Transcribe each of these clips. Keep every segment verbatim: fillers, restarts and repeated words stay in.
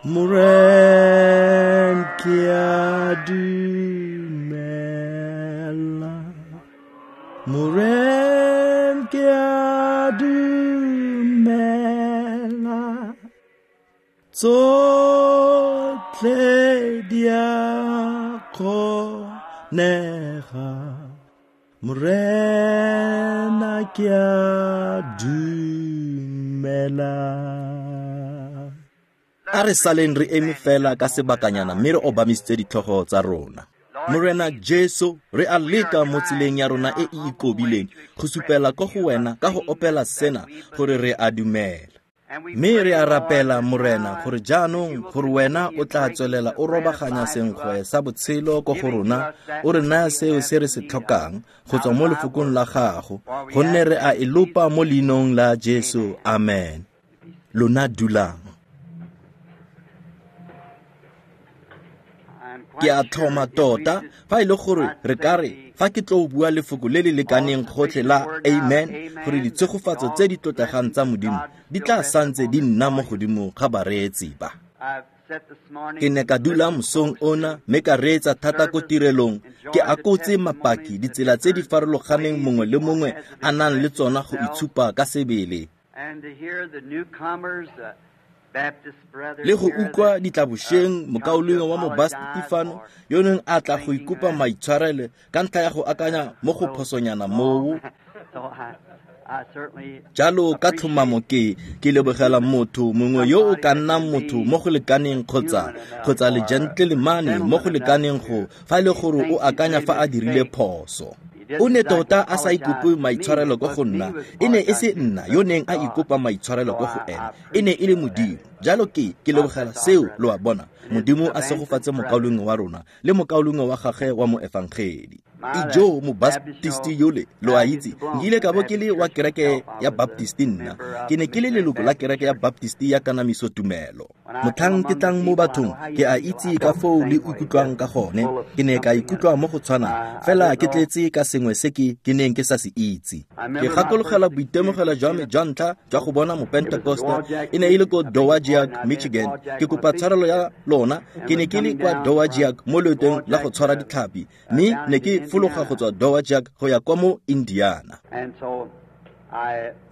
Moren ke a dumela, Moren ke a dumela, tsotlhe di a kgonega, Morena ke a dumela. A re saleng re eme fela ka sebakanyana mme re obamisitse ditlhogo tsa rona. Morena Jesu, re a leka mo tseleng ya rona e e ikobileng go supela ko go wena ka go opela sena gore re a dumela. Mme re a rapela, Morena, gore jaanong gore wena o tla tswelela o robaganya senkgwe sa botshelo ko go rona, o re naya seo se re se tlhokang go tswa mo lefokong la gago, gonne re a e lopa mo leinong la Jesu. Amen. Lona dulang. Ke a tlhoma tota fa e le gore re ka re fa ke tlo bua lefoko le le lekaneng gotlhe la amen, gore ditshegofatso tse di tlotlegang tsa Modimo di tla santse di nna mo godimo ga bareetsi ba. Ke ne ka dula mosong ona mme ka reetsa thata ko tirelong, ke akotse mapaki ditsela tse di farologaneng mongwe le mongwe a nang le tsona go itshupa ka sebele. Le go utlwa ditlabošeng mokaulengwe wa Mobasti fano yo neng a tla go ikopa maitshwarelo ka ntlha ya go akanya mo go phosonyana moo. Jalo ka tlhomamo ke ke lebogela motho mongwe yo o ka nnang motho mo go lekaneng kgotsa kgotsa le gentleman mo go lekaneng go fa e le gore o akanya fa a dirile phoso. O ne tota a sa ikope maitshwarelo ko go nna, e ne e se nna yo neng a ikopa maitshwarelo ko go ene, e ne e le Modimo. Jalo ke ke lebogela seo, lo a bona. Modimo a segofatse mokaulengwe wa rona le mokaulengwe wa gagwe wa moefangedi. Ijo mobaptisti yole, lo a itse, nkile ka bo ke le wa kereke ya Baptisti nna. Ke ne ke le leloko la kereke ya Baptisti ya kanamiso tumelo. Motlhang ke tlang mo bathong, ke a itse ka foo le ikutlwang ka gone. Ke ne ka ikutlwa mo go tshwanang, fela ke tletse ka sengwe se ke ke neng ke sa se itse. Ke gakologela boitemogelo jwa me jwa ntlha jwa go bona Mopentekoste, e ne e le ko Dowagiac, Michigan. Ke kopa tshwarelo ya lona, ke ne ke le kwa Dowagiac mo loetong la go tshwara ditlhapi, mme ne ke fologa go tswa Dowagiac go ya kwa mo Indiana.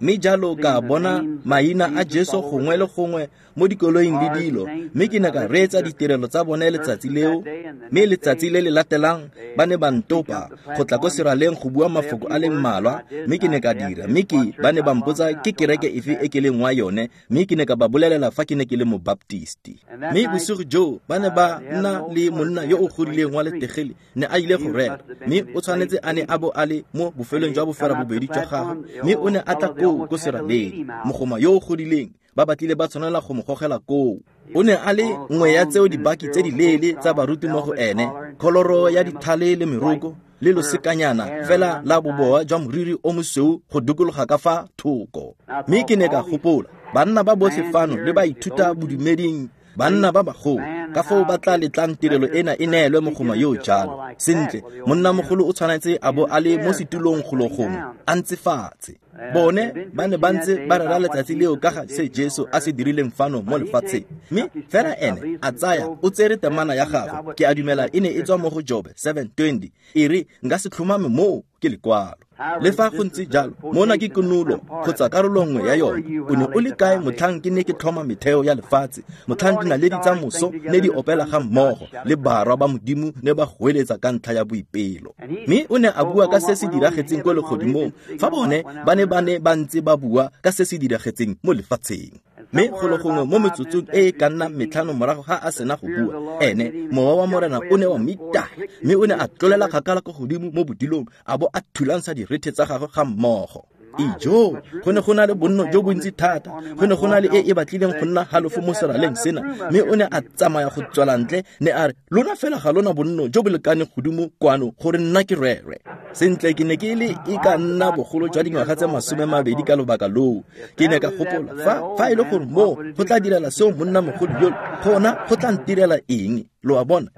Mme jalo ka bona maina a Jesu gongwe le gongwe mo dikoloing le dilo, mme ke ne ka reetsa ditirelo tsa bone letsatsi leo, mme letsatsi le le latelang ba ne ba ntopa go tla ko seraleng go bua mafoko a le mmalwa, mme ke ne ka dira, mme ke ba ne ba mpotsa ke kereke efe e ke leng wa yone, mme ke ne ka ba bolelela fa ke ne ke le mobaptisti. Mme bosigo joo ba ne ba nna le monna yo o godileng wa letegele, ne a ile go rera, mme o tshwanetse a ne a bo a le mo bofelong jwa boferabobedi jwa gagwe, mme o ne a tla koo ko seraleng, mogoma yo o godileng, ba batlile ba tshwanela go mo gogela koo. O ne a le nngwe ya tseo dibaki tse di leele tsa baruti mo go ene, kholoro ya dithale le meroko le losekanyana fela la boboa jwa moriri o mosweu go dikologa ka fa thoko. Mme ke ne ka gopola, banna ba botlhe fano le ba ithuta bodumeding, banna ba bagolo, ka foo ba tla letlang tirelo ena e neelwe mogoma yo jalo. Sentle, monnamogolo o tshwanetse a bo a le mo setulong golo gongwe, a ntse fatshe. Bone ba ne ba ntse ba rera letsatsi leo ka ga se Jesu a se dirileng fano mo lefatsheng. Mme fela ene a tsaya o tsere temana ya gagwe, ke a dumela e ne e tswa mo go Jobe seven twenty, e re nka se tlhomame moo ke lekwalo. Le fa go ntse jalo, mona ke konolo kgotsa karolo nngwe ya yone. O ne o le kae motlhang ke ne ke tlhoma metheo ya lefatshe, motlhang dinaledi tsa moso ne di opela ga mmogo le barwa ba Modimo ne ba goeletsa ka ntlha ya boipelo. Mme o ne a bua ka se se diragetseng kwa legodimong, fa bone ba ne ba ne ba ntse ba bua ka se se diragetseng mo lefatsheng. Mme golo gongwe mo metsotsong e e ka nnang metlhano morago ga a sena go bua, ene mowa wa Morena o ne wa mo itaya, mme o ne a tlolela kgakala ko godimo mo bodilong, a bo a thulantsha direthe tsa gagwe ga mmogo. Ijo, go ne go na le bonno jo bontsi thata, go ne go na le e e batlileng go nna halofo mo seraleng sena, mme o ne a tsamaya go tswela ntle, ne a re, lona fela ga lona bonno jo bo lekaneng godimo kwano gore nna ke rere. Sentle, ke ne ke le e ka nna bogolo jwa dingwaga tse masome mabedi ka lobaka loo. Ke ne ka gopola, fa fa e le gore moo go tla direla seo monnamogolo yole, gona go tla ntirela eng? Lo a bona?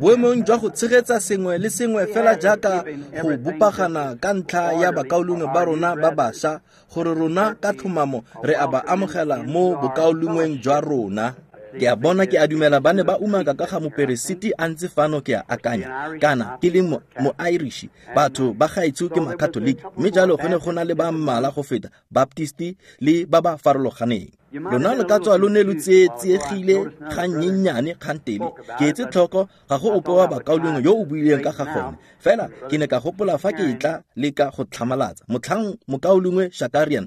Boemong jwa go tshegetsa sengwe le sengwe fela jaaka go bopagana ka ntlha ya bakaulengwe ba rona ba bašwa, gore rona ka tlhomamo re a ba amogela mo bokaulengweng jwa rona. Ke a bona, ke a dumela ba ne ba umaka ka ga moperesiti a ntse fano, ke a akanya, kana ke le mo-Irish, batho ba gaetsho ke Makatoliki, mme jalo go ne go na le ba mmala go feta Baptisti le ba ba farologaneng. Lona lo ka tswa lo ne lo tsietsegile gannyenyane kgantele. Ke etse tlhoko ga go ope wa bakaulengwe yo o buileng ka ga gone, fela ke ne ka gopola fa ke tla leka go tlhamalatsa motlhang mokaulengwe Shakarian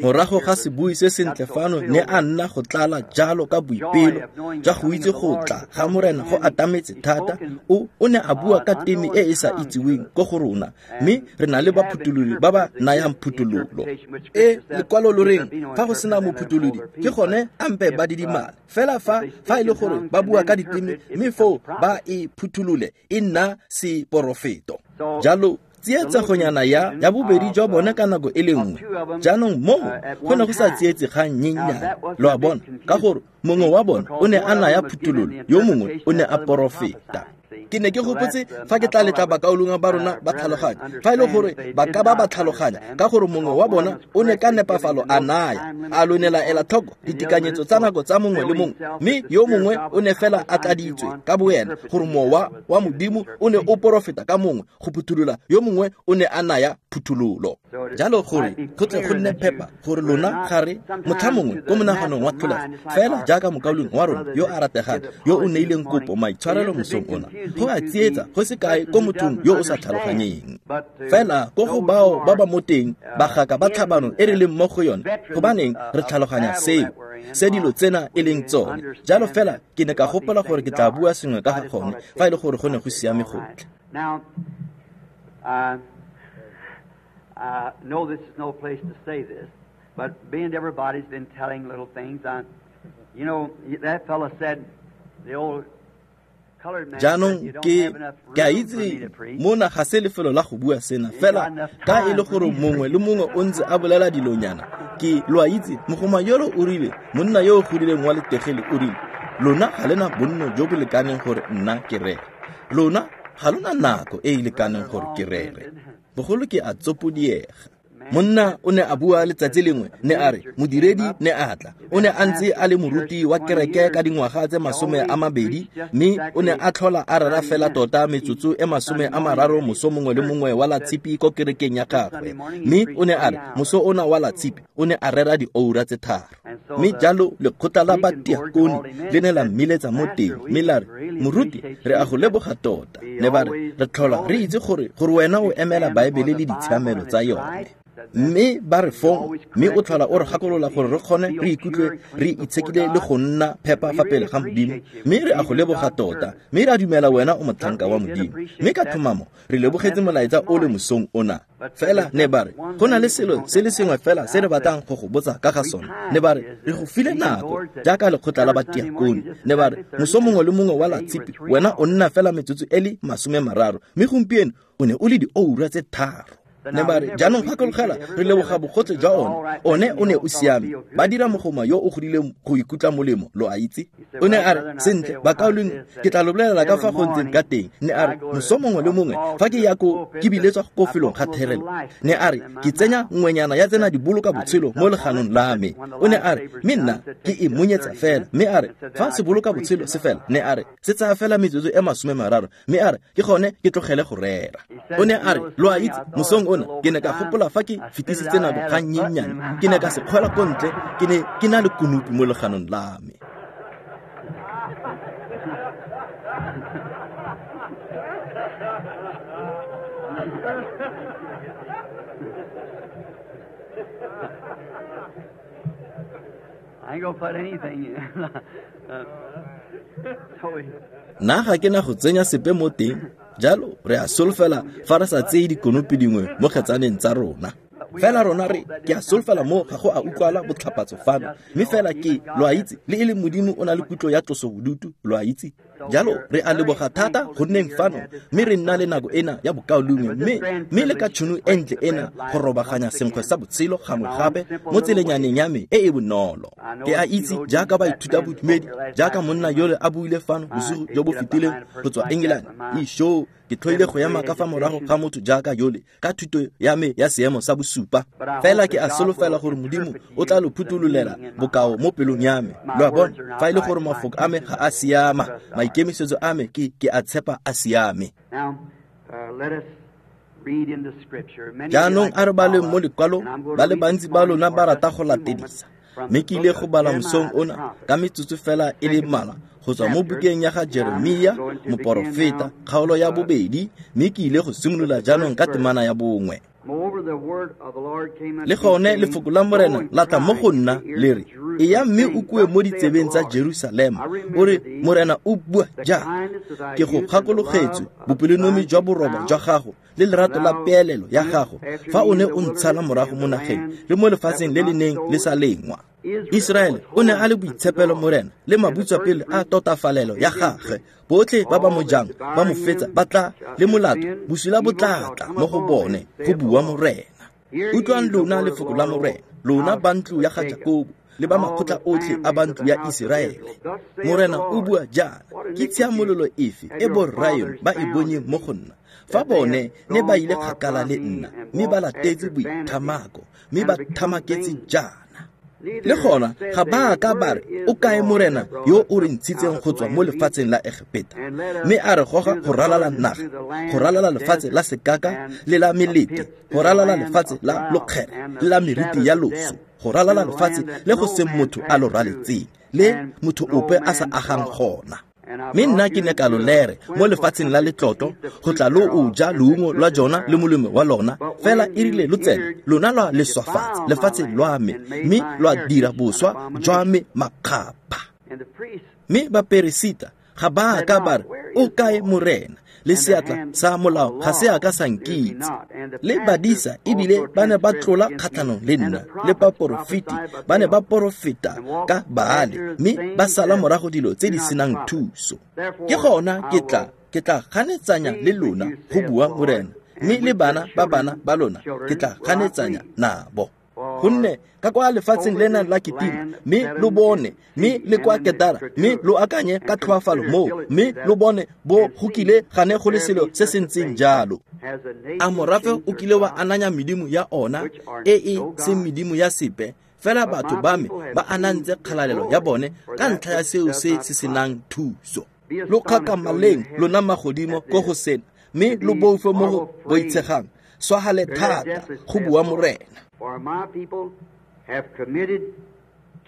morago ga sebui se sentle fano ne a nna go tlala jalo ka boipelo jwa go itse go tla ga Morena go atametse thata. O o ne a bua ka teme e e sa itseweng ko go rona, mme re na le baphutholodi ba ba nayang phuthololo. E lekwalo lo reng fa go sena mophutholodi ke gone ampe ba didimale fela fa fa e le gore ba bua ka diteme, mme foo ba e phutholole e nna seporofeto. Jalo tsietsegonyana ya ya bobedi jwa bone ka nako e le nngwe. Jaanong moo go ne go sa tsietse gannyenyane, lo a bona, ka gore mongwe wa bone o ne a naya phuthololo, yo mongwe o ne a porofeta. Ke ne ke gopotse fa ke tla letla bakaulengwe ba rona ba tlhaloganya, fa e le gore ba ka ba ba tlhaloganya, ka gore mongwe wa bona o ne ka nepafalo a naya, a lo ne la ela tlhoko ditekanyetso tsa nako tsa mongwe le mongwe, mme yo mongwe o ne fela a tladitswe ka boena gore mowa wa Modimo o ne o porofeta ka mongwe go phutholola, yo mongwe o ne a naya phuthololo. Jalo gore go tle go nne phepa gore lona ga re motlha mongwe ko monaganong wa tlholego, fela jaaka mokaulengwe wa rona yo a rategang yo o neileng kopo maitshwarelo mosong ona, go a tsietsa go se kae ko mothong yo o sa tlhaloganyeng. Fela ko go bao ba ba mo teng bagaka ba tlhabano e re leng mo go yone, gobaneng re tlhaloganya seo se dilo tsena e leng tsone. Jalo fela ke ne ka gopola gore ke tla bua sengwe ka ga gone fa e le gore go ne go siame gotlhe. I know this is no place to say this, but being everybody's been telling little things, I, you know, that fellow said, the old Jaanong ke ke a itse mona ga se lefelo la go bua sena, fela ka e le gore mongwe le mongwe o ntse a bolela dilonyana, ke lo a itse mogoma yolo o rile, monna yo o godileng wa letegele o rile, lona ga lena bonno jo bo lekaneng gore nna ke rere, lona ga lona nako e e lekaneng gore ke rere, bogolo ke a tsopodiega. Monna o ne a bua letsatsi lengwe, ne a re modiredi ne a tla, o ne a ntse a le moruti wa kereke ka dingwaga tse masome a mabedi, mme o ne a tlhola a rera fela tota metsotso e masome a mararo moso mongwe le mongwe wa la tshipi ko kerekeng ya gagwe, mme o ne a re moso ona wa la tshipi o ne a rera dioura tse tharo. Mme jalo lekgotla la batiakone le ne la mmiletsa mo teng, mme la re, moruti re a go leboga tota, ne ba re re tlhola re itse gore gore wena o emela Baebele le ditshiamelo tsa yone. Mme ba re fong, mme o tlhola o re gakolola gore re kgone re ikutlwe re itshekile le go nna phepa fa pele ga Modimo, mme re a go leboga tota, mme re a dumela wena o motlhanka wa Modimo, mme ka tlhomamo re lebogetse molaetsa o le mosong ona. Fela ne ba re go na le selo se le sengwe fela se re batlang go go botsa ka ga sone, ne ba re re go file nako jaaka lekgotla la batiakone, ne ba re moso mongwe le mongwe wa la tshipi wena o nna fela metsotso e le masome mararo, mme gompieno o ne o le dioura tse tharo. Ne ba re jaanong gakologela re leboga bogotlhe jwa one, one o ne o siame, ba dira mogoma yo o godileng go ikutlwa molemo, lo a itse. O ne a re sentle bakaulengwe ke tla lo bolelela ka fa go ntseng ka teng, ne a re moso mongwe le mongwe fa ke ya ko ke biletswa ko felong ga therelo, ne a re ke tsenya nngwenyana ya tsena di boloka botshelo mo leganong la me, o ne a re mme nna ke e monyetsa fela, mme a re fa se boloka botshelo se fela, ne a re se tsaya fela metsotso e masome mararo, mme a re ke gone ke tlogele go rera. O ne a re lo a itse mosong ona ke ne ka gopola fa ke fetisitse nako gannyenyane, ke ne ka se kgwela ko ntle, ke ne ke na le konopi mo leganong la me. I ain't gonna put anything in. uh, so Nna ga ke na go tsenya sepe mo teng, jalo re a solofela fa re sa tseye dikonopi dingwe mo kgetsaneng tsa rona. Fela rona re ke a solofela mo ga go a utlwala botlhapatso fano, mme fela ke lo a itse le e le Modimo o na le kutlo ya tlosobodutu, lo a itse. Jalo re a leboga thata go nneng fano mme re nna le nako ena ya bokaulengwe mme mme le ka tšhono e ntle ena go robaganya senkgwe sa botshelo gangwe gape mo tselenyaneng ya me e e bonolo. Ke a itse jaaka baithuta bodumedi jaaka monna yole a buile fano bosigo jo bo fetileng go tswa England, isho ke tlhoile go ema ka fa morago ga motho jaaka yole ka thuto ya me ya seemo sa bosupa. Fela ke a solofela gore Modimo o tla lo phuthulolela bokao mo pelong ya me. Lo a bona, fa e le gore mafoko a me ga a siama, maikemisetso a me ke ke a tshepa a siame. Jaanong a re baleng mo lekwalong, ba le bantsi ba lona ba rata go latedisa. Mme ke ile go bala mosong ona ka metsotso fela e le mmalwa go tswa mo bukeng ya ga Jeremia moporofeta, kgaolo ya bobedi, mme ke ile go simolola jaanong ka temana ya bongwe. Le gone lefoko la Morena la tla mo go nna le re, eya mme o kue mo ditsebeng tsa Jerusalema, o re Morena o bua jaana, ke go gakologetswe bopelonomi jwa boroba jwa gago le lerato la peelelo ya gago fa o ne o ntshala morago mo nageng le mo lefatsheng le le neng le sa lengwa. Israele o ne a le boitshepelo Morena le mabutswapele a totafalelo ya gagwe. Botlhe ba ba mo jang ba mo fetsa ba tla le molato, bosula bo tla tla mo go bone, go bua Morena. Utlwang lona lefoko la Morena, lona ba ntlo ya ga Jakobo le ba makgotla otlhe a ba ntlo ya Iseraele. Morena o bua jaana, ke tshiamololo efe e borraeno ba e bonyeng mo go nna fa bone ne ba ile kgakala le nna, mme ba latetse boithamako, mme ba thamaketse jaana. Le gona ga ba ka ba re, o kae Morena yo o re ntshitseng go tswa mo lefatsheng la Egepeta, mme a re goga go ralala naga, go ralala lefatshe la sekaka le la melete, go ralala lefatshe la lokgere le la meriti ya loso, go ralala lefatshe le go seng motho a lo raletseng, le motho ope a sa agang gona. Mme nna ke ne ka lo lere mo lefatsheng la letlotlo go tla lo o ja leungo lwa jona le molemo wa lona, fela e rile lo tsena lona lwa leswafatsa lefatshe lwa me, mme lwa dira boswa jwa me makgapha. Mme baperesita ga ba ka ba re, o kae Morena? Le seatla sa molao ga se a ka sa nkitse. Le badisa ebile ba ne ba tlola kgatlhanong le nna, le baporofeti ba ne ba porofeta ka Baale, mme ba sala morago dilo tse di senang thuso. Ke gona ke tla ke tla ganetsanya le lona, go bua Morena, mme le bana ba bana ba lona ke tla ganetsanya nabo. Gonne ka kwa lefatsheng lena la Kitima, mme lo bone, mme le kwa Ketara, mme lo akanye ka tlhoafalo moo, mme lo bone bo go kile gane go le selo se se ntseng jalo. A morafe o kile wa ananya medimo ya ona e e seng medimo ya sepe, fela batho ba me ba anantse kgalalelo ya bone ka ntlha ya seo se se senang thuso. Lo kgakamaleng lona magodimo ko go sena, mme lo boife mo go boitshegang, swagale thata, go bua Morena.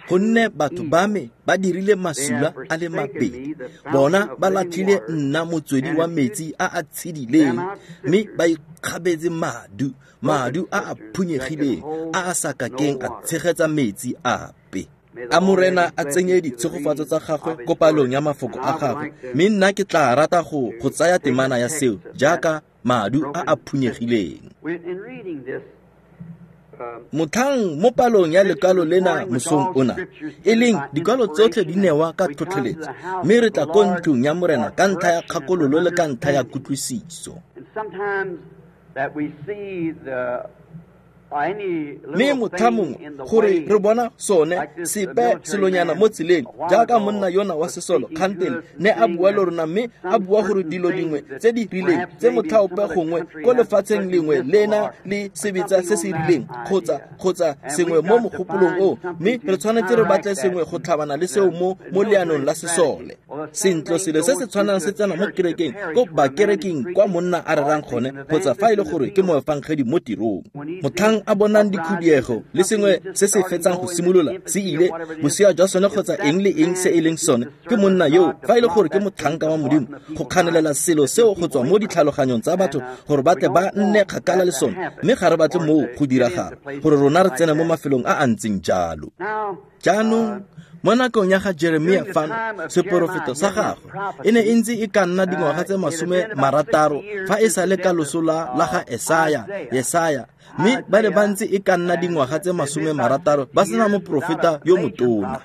Gonne batho ba me ba dirile masula a le mabedi, bona ba latlhile nna motswedi wa metsi a a tshedileng, mme ba ikgabetse madu, madu a a phunyegileng a a sa kakeng a tshegetsa metsi ape. A Morena a tsenye ditshegofatso tsa gagwe ko palong ya mafoko a gagwe, mme nna ke tla rata go go tsaya temana ya seo jaaka madu a a phunyegileng. Motlhang mo palong ya lekwalo lena mosong ona, e leng dikwalo tsotlhe di newa ka tlhotlheletso, mme re tla ko ntlong ya Morena ka ntlha ya kgakololo le ka ntlha ya kutlwisiso. Mme motlha mongwe gore re bona sone sepe selonyana mo tseleng, jaaka monna yona wa sesolo kgantele ne a bua le rona, mme a bua gore dilo dingwe tse di rileng tse motlhaope gongwe ko lefatsheng lengwe lena le sebetsa se se rileng kgotsa kgotsa sengwe mo mogopolong o, mme re tshwanetse re batle sengwe go tlhabana le seo mo mo leanong la sesole. Sentlo selo se se tshwanang se tsena mo kerekeng ko bakerekeng kwa monna a rerang gone, kgotsa fa e le gore ke moefangedi mo tirong. Motlhang a bonang dikhudiego le sengwe se se fetsang go simolola se ile bosea jwa sone kgotsa eng le eng se e leng sone, ke monna yo fa e le gore ke motlhanka wa Modimo go kganelela selo seo go tswa mo ditlhaloganyong tsa batho gore ba tle ba nne kgakala le sone, mme ga re batle moo go diragala gore rona re tsene mo mafelong a a ntseng jalo. Jaanong mo nakong ya ga Jeremia fano, seporofeto sa gagwe e ne e ntse e ka nna dingwaga tse masome marataro fa e sa le ka loso la la ga Esaya, Yesaya, Mme ba ne ba ntse e ka nna dingwaga tse masome marataro ba sena moporofeta yo motona.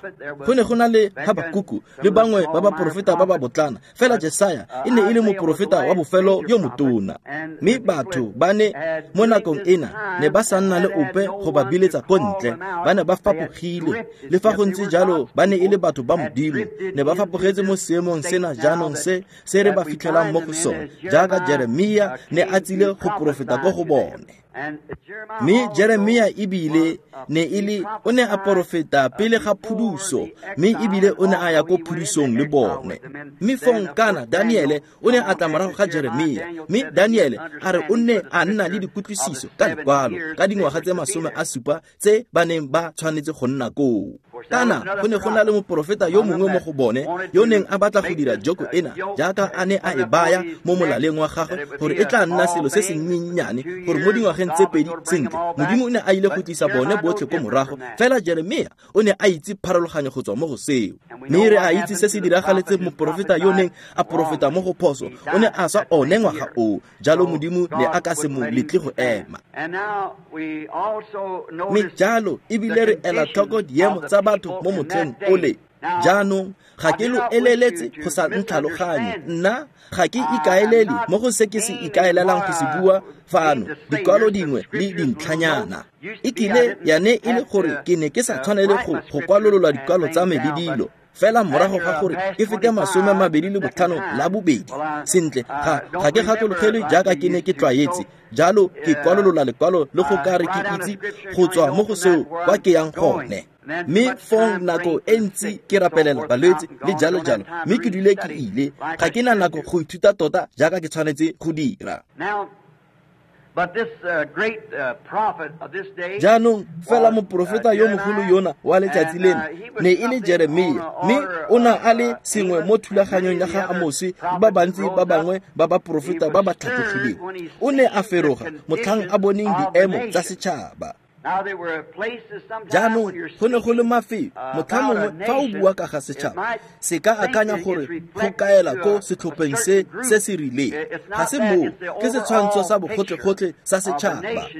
Go ne go na le Habakuku le bangwe ba baporofeta ba ba botlana, fela Jesaya e ne e le moporofeta wa bofelo yo motona. Mme batho ba ne mo nakong ena ne ba sa nna le ope go ba biletsa ko ntle, ba ne ba fapogile. Le fa go ntse jalo ba ne e le batho ba Modimo, ne ba fapogetse mo seemong sena jaanong se se re ba fitlhelang mo go sone, jaaka Jeremia ne a tsile go porofeta ko go bone. Mme Jeremia ebile ne e le o ne a porofeta pele ga phuduso, mme ebile o ne a ya ko phudusong le bone. Mme fong kana Daniele o ne a tla morago ga Jeremia, mme Daniele a re o ne a nna le dikutlwisiso ka lekwalo ka dingwaga tse masome a supa tse ba neng ba tshwanetse go nna koo. Kana go ne go na le moporofeta yo mongwe mo go bone yo neng a batla go dira joko ena jaaka a ne a e baya mo molaleng wa gagwe gore e tla nna selo se se nnyennyane, gore mo dingwageng tse pedi sentle Modimo o ne a ile go tlisa bone botlhe ko morago. Fela Jeremia o ne a itse pharologanyo go tswa mo go seo. Mme re a itse se se diragaletseng moporofeta yo neng a porofeta mo go phoso, o ne a swa one ngwaga oo. Jalo Modimo ne a ka se mo letle go ema. Mme jalo ebile re ela tlhoko diemo tsa batho mo motlheng ole. Jaanong ga ke lo eleletse go sa ntlhaloganye, nna ga ke ikaelele mo go se ke se ikaelelang go se bua fano, dikwalo dingwe le dintlhanyana. E kile ya ne e le gore ke ne ke sa tshwanele go go kwalolola dikwalo tsa me le dilo, fela morago ga gore ke fete masome a mabedi le botlhano la bobedi, sentle ga ga ke gakologelwe jaaka ke ne ke tlwaetse. Jalo ke kwalolola lekwalo le go ka re ke itse go tswa mo go seo kwa ke yang gone. Mme fong nako e ntsi ke rapelela balwetse le jalo jalo, mme ke dule ke ile, ga ke na nako go ithuta tota jaaka ke tshwanetse go dira. Jaanong fela moporofeta yo mogolo yona wa letsatsi leno ne e le Jeremia, mme o na a le sengwe mo thulaganyong ya ga Amose le ba bantsi ba bangwe ba baporofeta ba ba tlhatlogileng. O ne a feroga motlhang a boneng diemo tsa setšhaba. Jaanong go ne go le mafelo motlha mongwe fa o bua ka ga setšhaba se ka akanya gore go kaela ko setlhopheng se se se rileng. Ga se moo, ke setshwantsho sa bogotlhe-gotlhe sa setšhaba.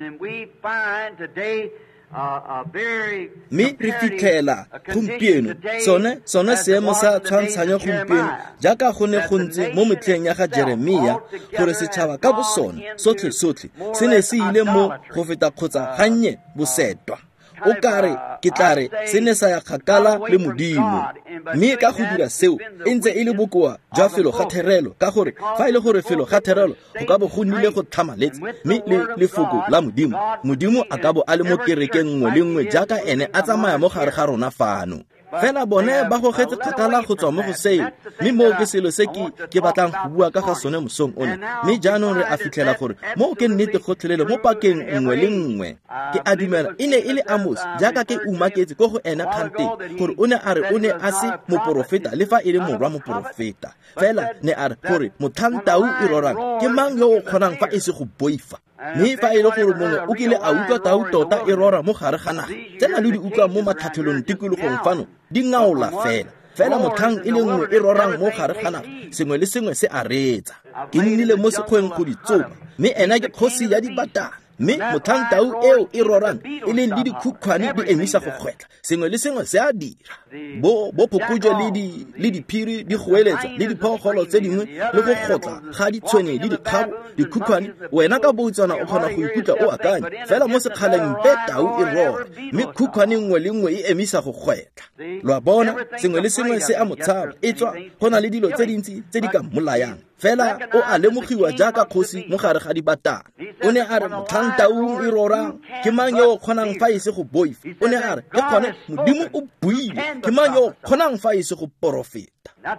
Mme re fitlhela gompieno sone sone seemo sa tshwantshanyo gompieno jaaka go ne go ntse mo metlheng ya ga Jeremia, gore setšhaba ka bosone sotlhe sotlhe se ne se ile mo go feta kgotsa gannye bosetwa. O kare ke tla re se ne sa ya kgakala le Modimo. Mme ka go dira seo e ntse e le bokoa jwa felo ga therelo, ka gore fa e le gore felo ga therelo go ka bo go nnile go tlhamaletse, mme le lefoko la Modimo, Modimo a ka bo a le mo kerekeng nngwe le nngwe jaaka ene a tsamaya mo gare ga rona fano. Fela bone ba gogetse kgakala go tswa mo go seo, mme moo ke selo se ke ke batlang go bua ka ga sone mosong ono. Mme jaanong re a fitlhela gore moo ke nnete gotlhelele mo pakeng nngwe le nngwe. Ke a dumela e ne e le Amos, jaaka ke umaketse ko go ena kganteng, gore o ne a re o ne a se moporofeta le fa e le morwa moporofeta. Fela ne a re gore motlhang tau e rorang ke mang yo o kgonang fa e se go boifa. Mme fa e le gore mongwe o kile a utlwa tau tota e rora mo gare ga naga, tsena le di utlwa mo matlhatlhelong tikologong fano di ngaola fela. Fela motlhang e le nngwe e rorang mo gare ga naga, sengwe le sengwe se a reetsa. Ke nnile mo sekgweng go di tsoma, mme ena ke kgosi ya dibatana. Mme motlhang tau eo e rorang e leng le dikhukhwane di emisa go kgwetlha, sengwe le sengwe se a dira. Bo bo phokojwe le di le diphiri di goeletsa le diphologolo tse dingwe le go gotla ga ditshwene le dikgabo dikhukhwane, wena ka boutsana o kgona go ikutlwa o akanya fela mo sekgaleng pe tau e rora, mme khukhwane nngwe le nngwe e emisa go kgwetlha. Lo a bona, sengwe le sengwe se a mo tshaba, e tswa go na le dilo tse dintsi tse di ka mmolayang. Fela o a lemogiwa jaaka kgosi mo gare ga dibatana. O ne a re motlhang taung e rorang ke mang yo o kgonang fa e se go boifa. O ne a re ke gone Modimo o buile, ke mang yo o kgonang fa e se go porofeta.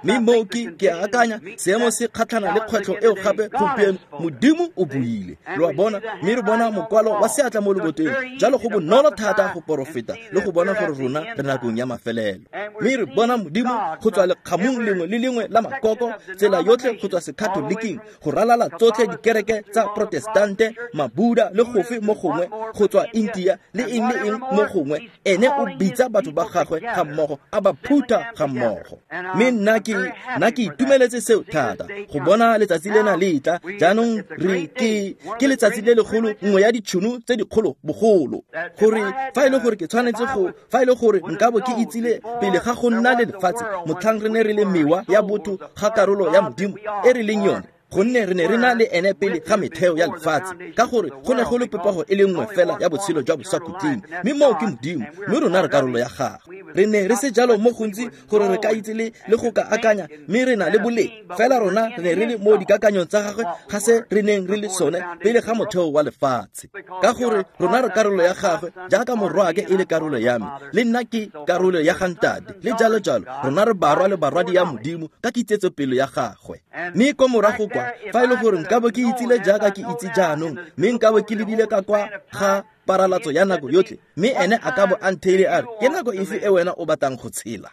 Mme moo ke ke akanya seemo se kgatlhana le kgwetlho eo gape gompieno, Modimo o buile. Lo a bona, mme re bona mokwalo wa seatla mo leboteng. Jalo go bonolo thata go porofeta le go bona gore rona re nakong ya mafelelo. Mme re bona Modimo go tswa lekgamong lengwe le lengwe la makoko, tsela yotlhe go tswa Sekatoliking, go ralala tsotlhe dikereke tsa Protestante, Mabuda le gofe mo gongwe, go tswa India le eng le eng mo gongwe, ene o bitsa batho ba gagwe ga mmogo, a ba phutha ga mmogo. Mme nna ke nna ke itumeletse seo thata go bona letsatsi lena le tla. Jaanong re ke ke letsatsi le legolo, nngwe ya ditšhono tse dikgolo bogolo, gore fa e le gore ke tshwanetse go fa e le gore nka bo ke itsile pele ga go nna le lefatshe, motlhang re ne re le mewa ya botho ga karolo ya Modimo e re leng yone, gonne re ne re na le ene pele ga metheo ya lefatshe, ka gore go ne go le popego e le nngwe fela ya botshelo jwa bosakhutleng, mme moo ke Modimo, mme rona re karolo ya gagwe. Re ne re se jalo mo gontsi gore re ka itse le le go ka akanya, mme re na le boleng, fela rona re ne re le mo dikakanyong tsa gagwe ga se re neng re le sone pele ga motheo wa lefatshe, ka gore rona re karolo ya gagwe, jaaka morwaake e le karolo ya me, le nna ke karolo ya ga ntate, le jalo jalo. Rona re barwa le barwadi ya Modimo ka kitsetsopele ya gagwe. Mme ko morago kwa, fa e le gore nka bo ke itsile jaaka ke itse jaanong, mme nka bo ke lebile ka kwa ga paralatso ya nako yotlhe, mme ene a ka bo a ntheile a re, ke nako efe e wena o batlang go tshela?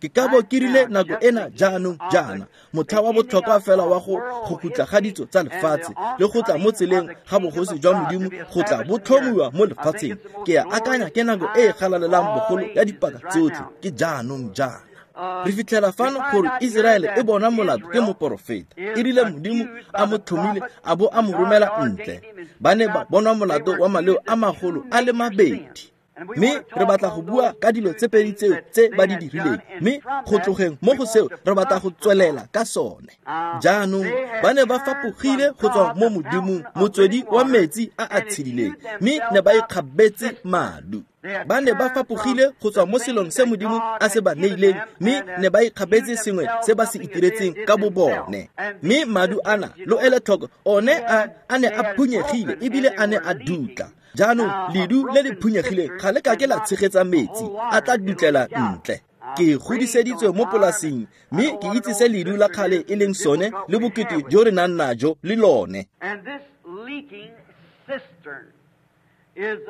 Ke ka bo ke rile nako ena jaanong jaana, motlha wa botlhokwa fela wa go go khutla ga ditso tsa lefatshe le go tla mo tseleng ga bogosi jwa Modimo go tla bo tlhomiwa mo lefatsheng. Ke a akanya ke nako e e galalelang bogolo ya dipaka tsotlhe, ke jaanong jaana. Re fitlhela fano gore Iseraele e bona molato ke moporofeta, e rile Modimo a mo tlhomile a bo a mo romela ntle. Ba ne ba bonwa molato wa maleo a magolo a le mabedi. Mme re batla go bua ka dilo tse pedi tseo tse ba di dirileng, mme go tlogeng mo go seo re batla go tswelela ka sone. Jaanong ba ne ba fapogile go tswa mo Modimong, motswedi wa metsi a a tshedileng, mme ne ba ikgabetse madu. Ba ne ba fapogile go tswa mo selong se Modimo a se ba neileng, mme ne ba ikgabetse sengwe se ba se itiretseng ka bo bone. Mme madu ana, lo ele tlhoko, one a a ne a phunyegile ebile a ne a dutla. Jaanong ledu le le phunyegileng ga le ka ke la tshegetsa metsi, a tla dutlela ntle. Ke godiseditswe mo polasing, mme ke itse se ledu la kgale e leng sone le bokete jo re nang najo le lone.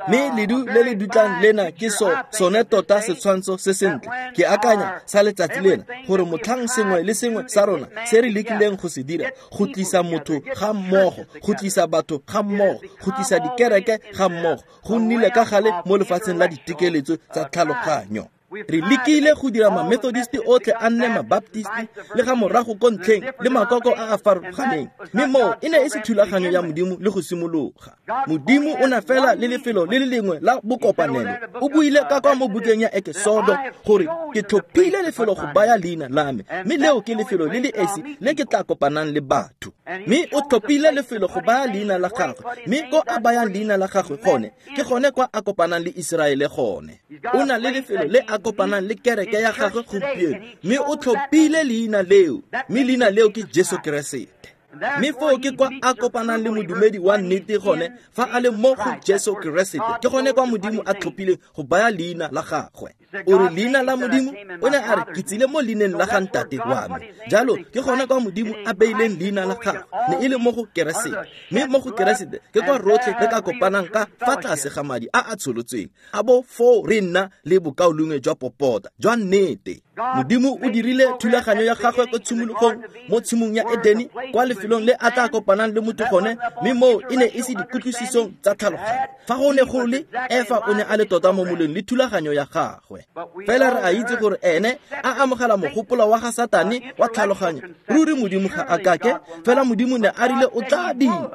Mme ledu le le dutlang lena ke so sone tota setshwantsho se sentle, ke akanya sa letsatsi lena, gore motlhang sengwe le sengwe sa rona se re lekileng go se dira, go tlisa motho ga mmogo, go tlisa batho ga mmogo, go tlisa dikereke ga mmogo, go nnile ka gale mo lefatsheng la ditekeletso tsa tlhaloganyo. Re lekile go dira ma-Methodist otlhe a nne ma-Baptist le ga morago ko ntlheng le makoko a a farologaneng, mme moo e ne e se thulaganyo ya Modimo le go simologa. Modimo o na fela le lefelo le le lengwe la bokopanelo. O buile ka kwa mo bukeng ya Ekesodo gore ke tlhophile lefelo go baya leina la me, mme leo ke lefelo le le esi le ke tla kopanang le batho. Mme o tlhophile lefelo go baya leina la gagwe, mme ko a bayang leina la gagwe gone, ke gone kwa a kopanang le Iseraele gone. O na le lefelo le a kopanang le kereke ya gagwe gompieno, mme o tlhophile leina leo, mme leina leo ke Jesu Keresete. Mme foo ke kwa a kopanang le modumedi wa nnete gone, fa a le mo go Jesu Keresete, ke gone kwa Modimo a tlhophileng go baya leina la gagwe. O re leina la Modimo, o ne a re ke tsile mo leineng la ga ntate wa me. Jalo ke gone kwa Modimo a beileng leina la gagwe, ne e le mo go Keresete. Mme mo go Keresete ke kwa rotlhe re ka kopanang ka fa tlase ga madi a a tsholotsweng, a bo foo re nna le bokaulengwe jwa popota jwa nnete. Modimo o dirile thulaganyo ya gagwe ko tshimologong mo tshimong ya Edeni, kwa lefelong le a tla kopanang le motho gone, mme moo e ne e se dikutlwisisong tsa tlhaloganyo. Fa go ne go le Efa o ne a le tota mo moleng le thulaganyo ya gagwe. Fela re a itse gore ene a amogela mogopolo wa ga Satane wa tlhaloganyo. Ruri Modimo ga a kake, fela Modimo ne a rile o tla dira.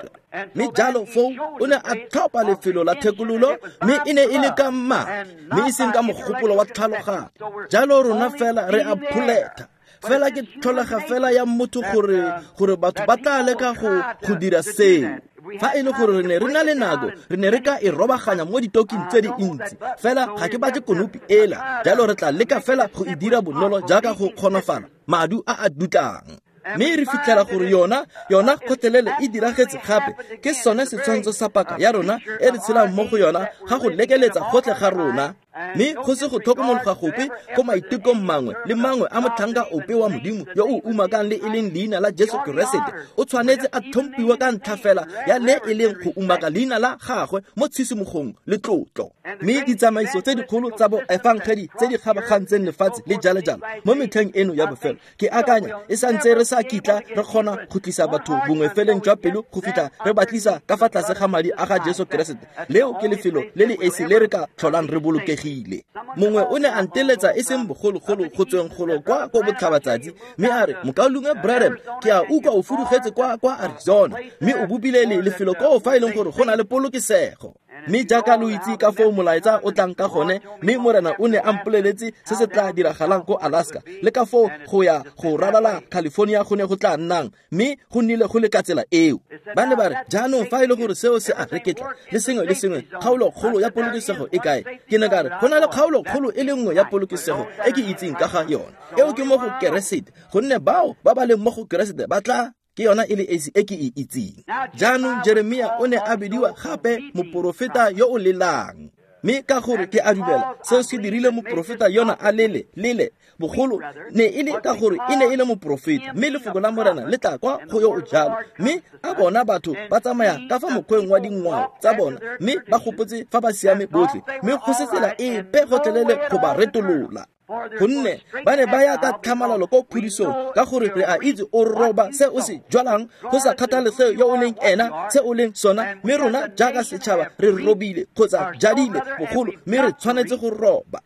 Mme jalo foo o ne a tlhopha lefelo la thekololo, mme e ne e le ka madi, mme e seng ka mogopolo wa tlhaloganyo. Jalo rona fela re a pholetha, fela ke tlholega fela ya motho gore gore batho ba tla leka go go dira seo. Fa e le gore re ne re na le nako, re ne re ka e robaganya mo ditoking tse dintsi, fela ga ke batle konopi ela. Jalo re tla leka fela go e dira bonolo jaaka go kgonafala madu a a dutlang. Mme re fitlhela gore yona yona kgotlelele e diragetse gape, ke sone setshwantsho sa paka ya rona e re tshelang mo go yona ga go lekeletsa gotlhe ga rona. Mme go se go tlhokomologa gope ko maitekong mangwe le mangwe a motlhanka ope wa Modimo yo o umakang le e leng leina la Jesu Keresete o tshwanetse a tlhomphiwa ka ntlha fela ya le e leng go umaka leina la gagwe mo tshisimogong le tlotlo. Mme ditsamaiso tse dikgolo tsa boefangedi tse di kgabagantseng lefatshe le jalo-jalo mo metlheng eno ya bofelo, ke akanya e santse re sa kitla re kgona go tlisa batho bongwe feleng jwa pelo go fitlha re ba tlisa ka fa tlase ga madi a ga Jesu Keresete. Leo ke lefelo le le esi le re ka tlholang re bolokegile. Mongwe o ne a nteletsa e seng bogologolo go tsweng golo kwa ko botlhabatsatsi, mme a re, Mokaulengwe Branham, ke a utlwa o fudugetse kwa kwa Arizona, mme o bopile le lefelo koo fa e leng gore go na le polokesego. Mme jaaka lo itse ka foo molaetsa o tlang ka gone, mme Morena o ne a mpoleletse se se tla diragalang ko Alaska, le ka foo go ya go ralala California go ne go tla nnang, mme go nnile go le ka tsela eo. Ba ne ba re, jaanong fa e le gore seo se a reketla le sengwe le sengwe, kgaolokgolo ya polokesego e kae? Ke ne ka re, go na le kgaolokgolo e le nngwe ya polokesego e ke itseng ka ga yone, eo ke mo go Keresete, gonne bao ba ba leng mo go Keresete ba tla ke yona e le esi e ke e itseng. Jaanong Jeremia o ne a bidiwa gape moporofeta yo o lelang. Mme ka gore ke a dumela seo se dirile moporofeta yona a lele lele bogolo ne e le ka gore e ne e le moporofeta, mme lefoko la Morena le tla kwa go yo o jalo. Mme a bona batho ba tsamaya ka fa mokgweng wa dingwao tsa bona, mme ba gopotse fa ba siame botlhe, mme go se tsela epe gotlhelele go ba retolola. Gonne ba ne ba ya ka tlhamalalo ko phudisong, ka gore re a itse o roba se o se jwalang, go sa kgathalesege yo o leng ena, se o leng sona. Mme rona jaaka setšhaba re robile kgotsa jadile bogolo, mme re tshwanetse go roba.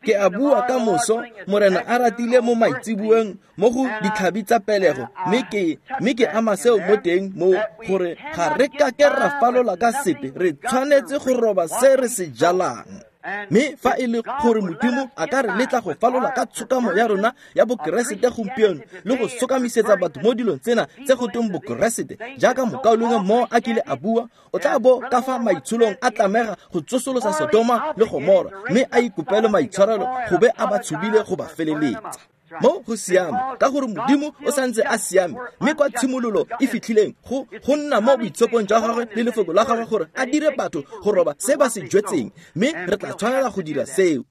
Ke a bua ka moso, Morena a ratile mo maitsiboeng mo go ditlhabi tsa pelego, mme ke mme ke ama seo mo teng mo gore ga re ka ke ra falola ka sepe, re tshwanetse go roba se re se jalang. Mme fa e le gore Modimo a ka re letla go falola ka tshokamo ya rona ya bokeresete gompieno le go sokamisetsa batho mo dilong tsena tse go tweng bokeresete, jaaka mokaulengwe mo a kile a bua, o tla bo ka fa maitsholong a tlamega go tsosolosa Sodoma le Gomora, mme a ikopele maitshwarelo go be a ba tshubile go ba feleletsa. Mo go siame, ka gore Modimo o santse a siame, mme kwa tshimololo e fitlhileng go go nna mo boitshepong jwa gagwe le lefoko la gagwe gore a dire batho go roba se ba se jwetseng, mme re tla tshwanela go dira seo.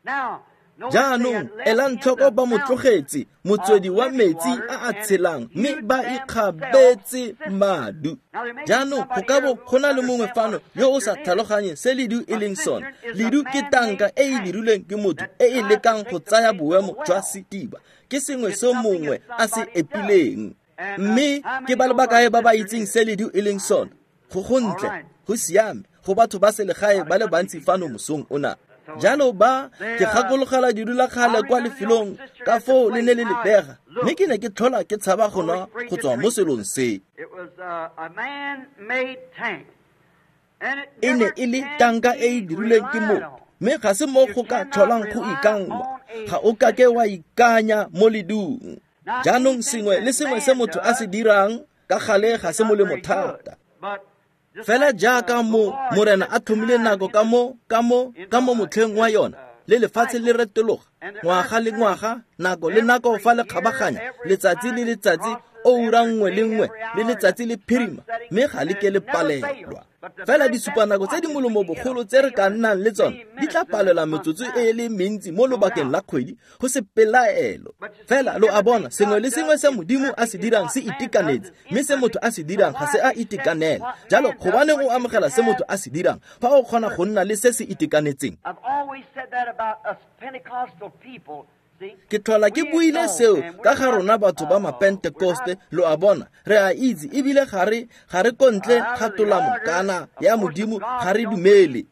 Jaanong elang tlhoko ba mo tlogetse motswedi wa metsi a a tshelang, mme ba ikgabetse madu. Jaanong go ka bo go na le mongwe fano yo o sa tlhaloganye se ledu e leng sone. Ledu ke tanka e e dirilweng ke motho e e lekang go tsaya boemo jwa sediba. Ke sengwe se mongwe a se epileng. Mme ke ba le bakae ba ba itseng se ledu e leng sone? Go gontle, go siame, go batho ba selegae ba le bantsi fano mosong ona. Jalo ba ke gakologela didula kgale kwa lefelong ka foo le ne le lebega, mme ke ne ke tlhola ke tshaba go nwa go tswa mo selong se. E ne e le tanka e e dirilweng ke motho, mme ga se mo go ka tlholang go ikanngwa. Ga o kake wa ikanya mo ledung. Jaanong sengwe le sengwe se motho a se dirang ka gale ga se molemo thata. Fela jaaka mo Morena a tlhomile nako ka mo ka mo ka mo motlheng wa yona, le lefatshe le retologa ngwaga le ngwaga, nako le nako fa le kgabaganya, letsatsi le letsatsi, oura nngwe le nngwe, le letsatsi le phirima, mme ga le ke le palelwa. Fela disupanako tse di molemo bogolo tse re ka nnang le tsone di tla palelwa metsotso e le mentsi mo lobakeng la kgwedi, go se pelaelo. Fela lo a bona, sengwe le sengwe se Modimo a se dirang se itekanetse, mme se motho a se dirang ga se a itekanela. Jalo gobaneng o amogela se motho a se dirang fa o kgona go nna le se se itekanetseng? Ke tlhola ke buile seo ka ga rona batho ba mapentekoste, lo a bona, re a itse ebile ga re ga re kontle ga tolamo kana ya Modimo, ga re dumele.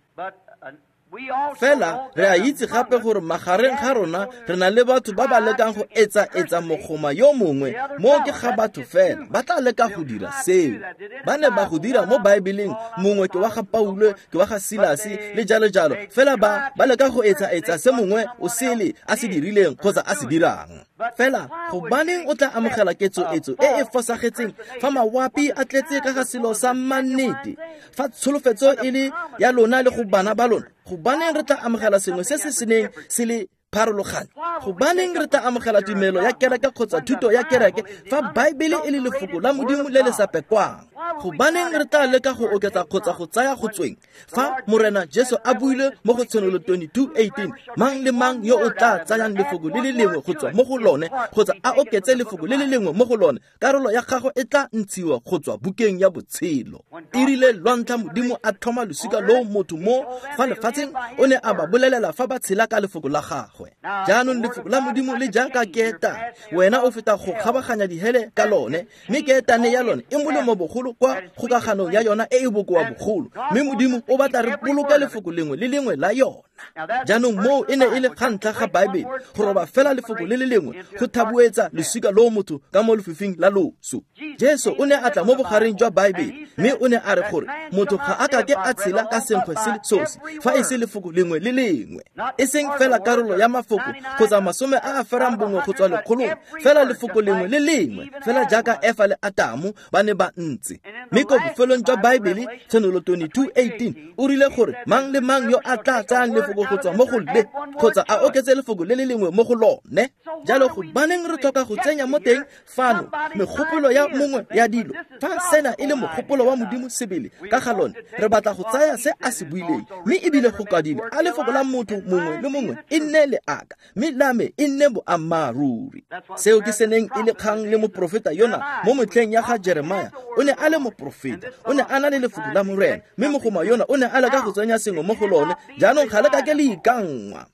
Fela re a itse gape gore magareng ga rona re na le batho ba ba lekang go etsa-etsa mogoma yo mongwe, mo ke ga batho fela ba tla leka go dira seo. Ba ne ba go dira mo Baebeleng, mongwe ke wa ga Paulo, ke wa ga Silase le jalo jalo. Fela ba ba leka go etsa-etsa se mongwe o sele a se dirileng kgotsa a se dirang. Fela gobaneng o tla amogela ketsoetso e e fosagetseng fa mawapi a tletse ka ga selo sa mannete, fa tsholofetso e le ya lona le go bana ba lona? Gobaneng re tla amogela sengwe se se seneng se le Pharologano. Gobaneng re tla amogela tumelo ya kereke kgotsa thuto ya kereke fa Baebele e le lefoko la Modimo le le sa pekwang? Gobaneng re tla leka go oketsa kgotsa go tsaya go tsweng fa Morena Jesu a buile mo go Tshenolo twenty-two eighteen, mang le mang yo o tla tsayang lefoko le le lengwe go tswa mo go lone kgotsa a oketse lefoko le le lengwe mo go lone, karolo ya gagwe e tla ntshiwa go tswa bukeng ya botshelo. E rile lwantlha Modimo a tlhoma losika loo motho mo fa lefatsheng, o ne a ba bolelela fa ba tshela ka lefoko la gagwe. Jaanong lefoko la Modimo le jaaka keetane, wena o feta go kgabaganya dihele ka lone, mme keetane ya lone e molemo bogolo kwa kgokaganong ya yona e e bokoa bogolo, mme Modimo o batla re boloke lefoko lengwe le lengwe la yona. Jaanong moo e ne e le ga ntlha ga Baebele, go roba fela lefoko le le lengwe go thabuetsa losika loo motho ka mo lefifing la loso. Jesu o ne a tla mo bogareng jwa Baebele, mme o ne a re gore motho ga a kake a tshela ka senkgwe se le sosi fa e se lefoko lengwe le lengwe, e seng fela karolo ya mafoko kgotsa masome a a ferang bongwe go tswa lekgolong, fela lefoko lengwe le lengwe, fela jaaka Efa le Atamo ba ne ba ntse. Mme ko bofelong jwa Baebele, Tshenolo twenty-two eighteen, o rile gore mang le mang yo a tla tsayang lefoko go tswa mo go le kgotsa a oketse lefoko le le lengwe mo go lone. Jalo gobaneng re tlhoka go tsenya mo teng fano megopolo ya mongwe ya dilo fa sena e le mogopolo wa Modimo sebele ka ga lone? Re batla go tsaya se a se buileng, mme ebile go kwadile a lefoko la motho mongwe le mongwe e nne leaka, mme la me e nne boammaaruri. Seo ke se neng e le kgang le moprofeta yona mo motlheng ya ga Jeremia. O ne a le moprofeta, o ne a na le lefoko la Morena, mme mogoma yona o ne a leka go tsenya sengwe mo go lone. Jaanong ga le kake le ikanngwa.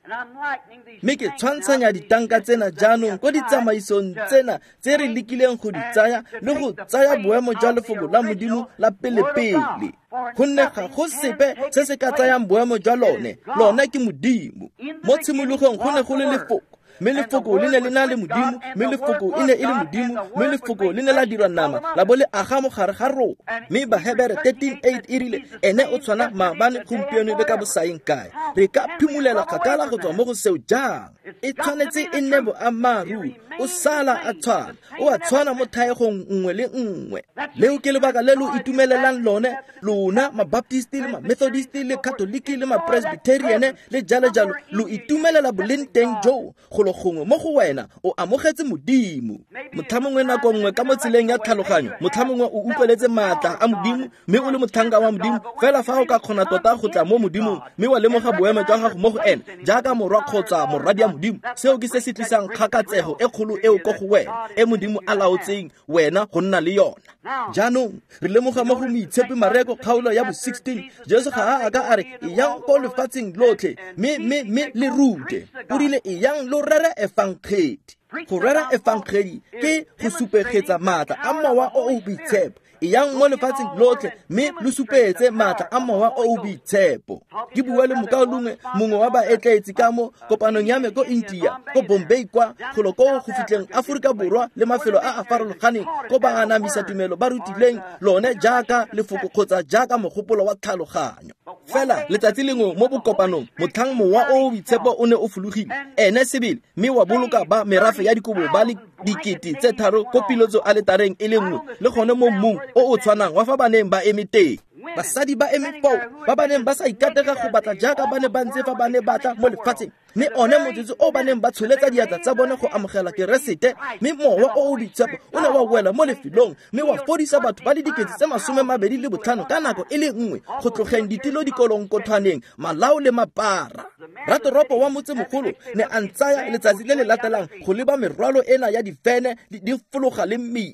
Mme ke tshwantshanya ditanka tsena jaanong ko ditsamaisong tsena tse re lekileng go di tsaya le go tsaya boemo jwa lefoko la Modimo la pelepele, gonne ga go sepe se se ka tsayang boemo jwa lone. Lone ke Modimo. Mo tshimologong go ne go le lefoko, mme lefoko le ne le na le Modimo, mme lefoko e ne e le Modimo, mme lefoko le ne la dirwa nama la bo le aga mo gare ga rona. Mme Bahebere thirteen eight e rile ene o tshwana maabane, gompieno le ka bosaeng kae. Re ka phimolela kgakala go tswa mo go seo jang? E tshwanetse e nne boammaaruri. O sala a tshwana, o a tshwana mo thaegong nngwe le nngwe. Leo ke lebaka le lo itumelelang lone, lona Mabaptist le Mamethodist le Catholic le Mapresbyterian le jalo jalo, lo itumelela boleng teng joo go gongwe mo go wena o amogetse Modimo. Motlhamongwe nako nngwe ka mo tseleng ya tlhaloganyo, motlhamongwe o utlweletse maatla a Modimo mme o le motlhanka wa Modimo. Fela fa o ka kgona tota go tla mo Modimong mme wa lemoga boemo jwa gago mo go ene jaaka morwa kgotsa morwadi ya Modimo, seo ke se se tlisang kgakatsego e kgolo eo ko go wena, e Modimo a laotseng wena go nna le yona. Jaanong re lemoga mo go Moitshepi Mareko kgaolo ya bo sixteen, Jesu ga a ka a re eyang ko lefatsheng lotlhe mme mme mme le rute. O rile eyang lo rere efangedi. Go rera efangedi ke go supegetsa maatla a Mowa o o Boitshepo. Eyang mo lefatsheng lotlhe mme lo supetse maatla a Mowa o o Boitshepo. Ke bua le mokaulengwe mongwe wa baetleetsi ka mo kopanong ya me ko India, ko Bombay kwa, golo ko go fitlheng Aforika Borwa le mafelo a a farologaneng ko ba anamisa tumelo ba rutileng lone jaaka lefoko kgotsa jaaka mogopolo wa tlhaloganyo. Fela letsatsi lengwe mo bokopanong, motlhang Mowa o o Boitshepo o ne o fologile ene sebele mme wa boloka ba merafe ya dikobo ba le dikete tse tharo ko pilotso aletareng e le nngwe le gone mo mmung o o tshwanang wa fa ba neng ba eme teng. Basadi ba eme foo ba ba neng ba sa ikatega go batla jaaka ba ne ba ntse fa ba ne batla mo lefatsheng, mme one motsotso o ba neng ba tsholetsa diatla tsa bone go amogela Keresete, mme Mowa o o Boitshepo o ne wa wela mo lefelong mme wa fodisa batho ba le dikete tse masome mabedi le botlhano ka nako e le nngwe, go tlogeng ditilo dikolonkothwaneng, malao le mapara. Ratoropo wa motsemogolo ne a ntsaya letsatsi le le latelang go leba merwalo ena ya difene di fologa le mmila.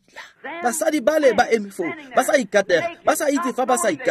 Basadi ba le ba eme foo ba sa ikatega, ba sa itse fa ba sa ikatega.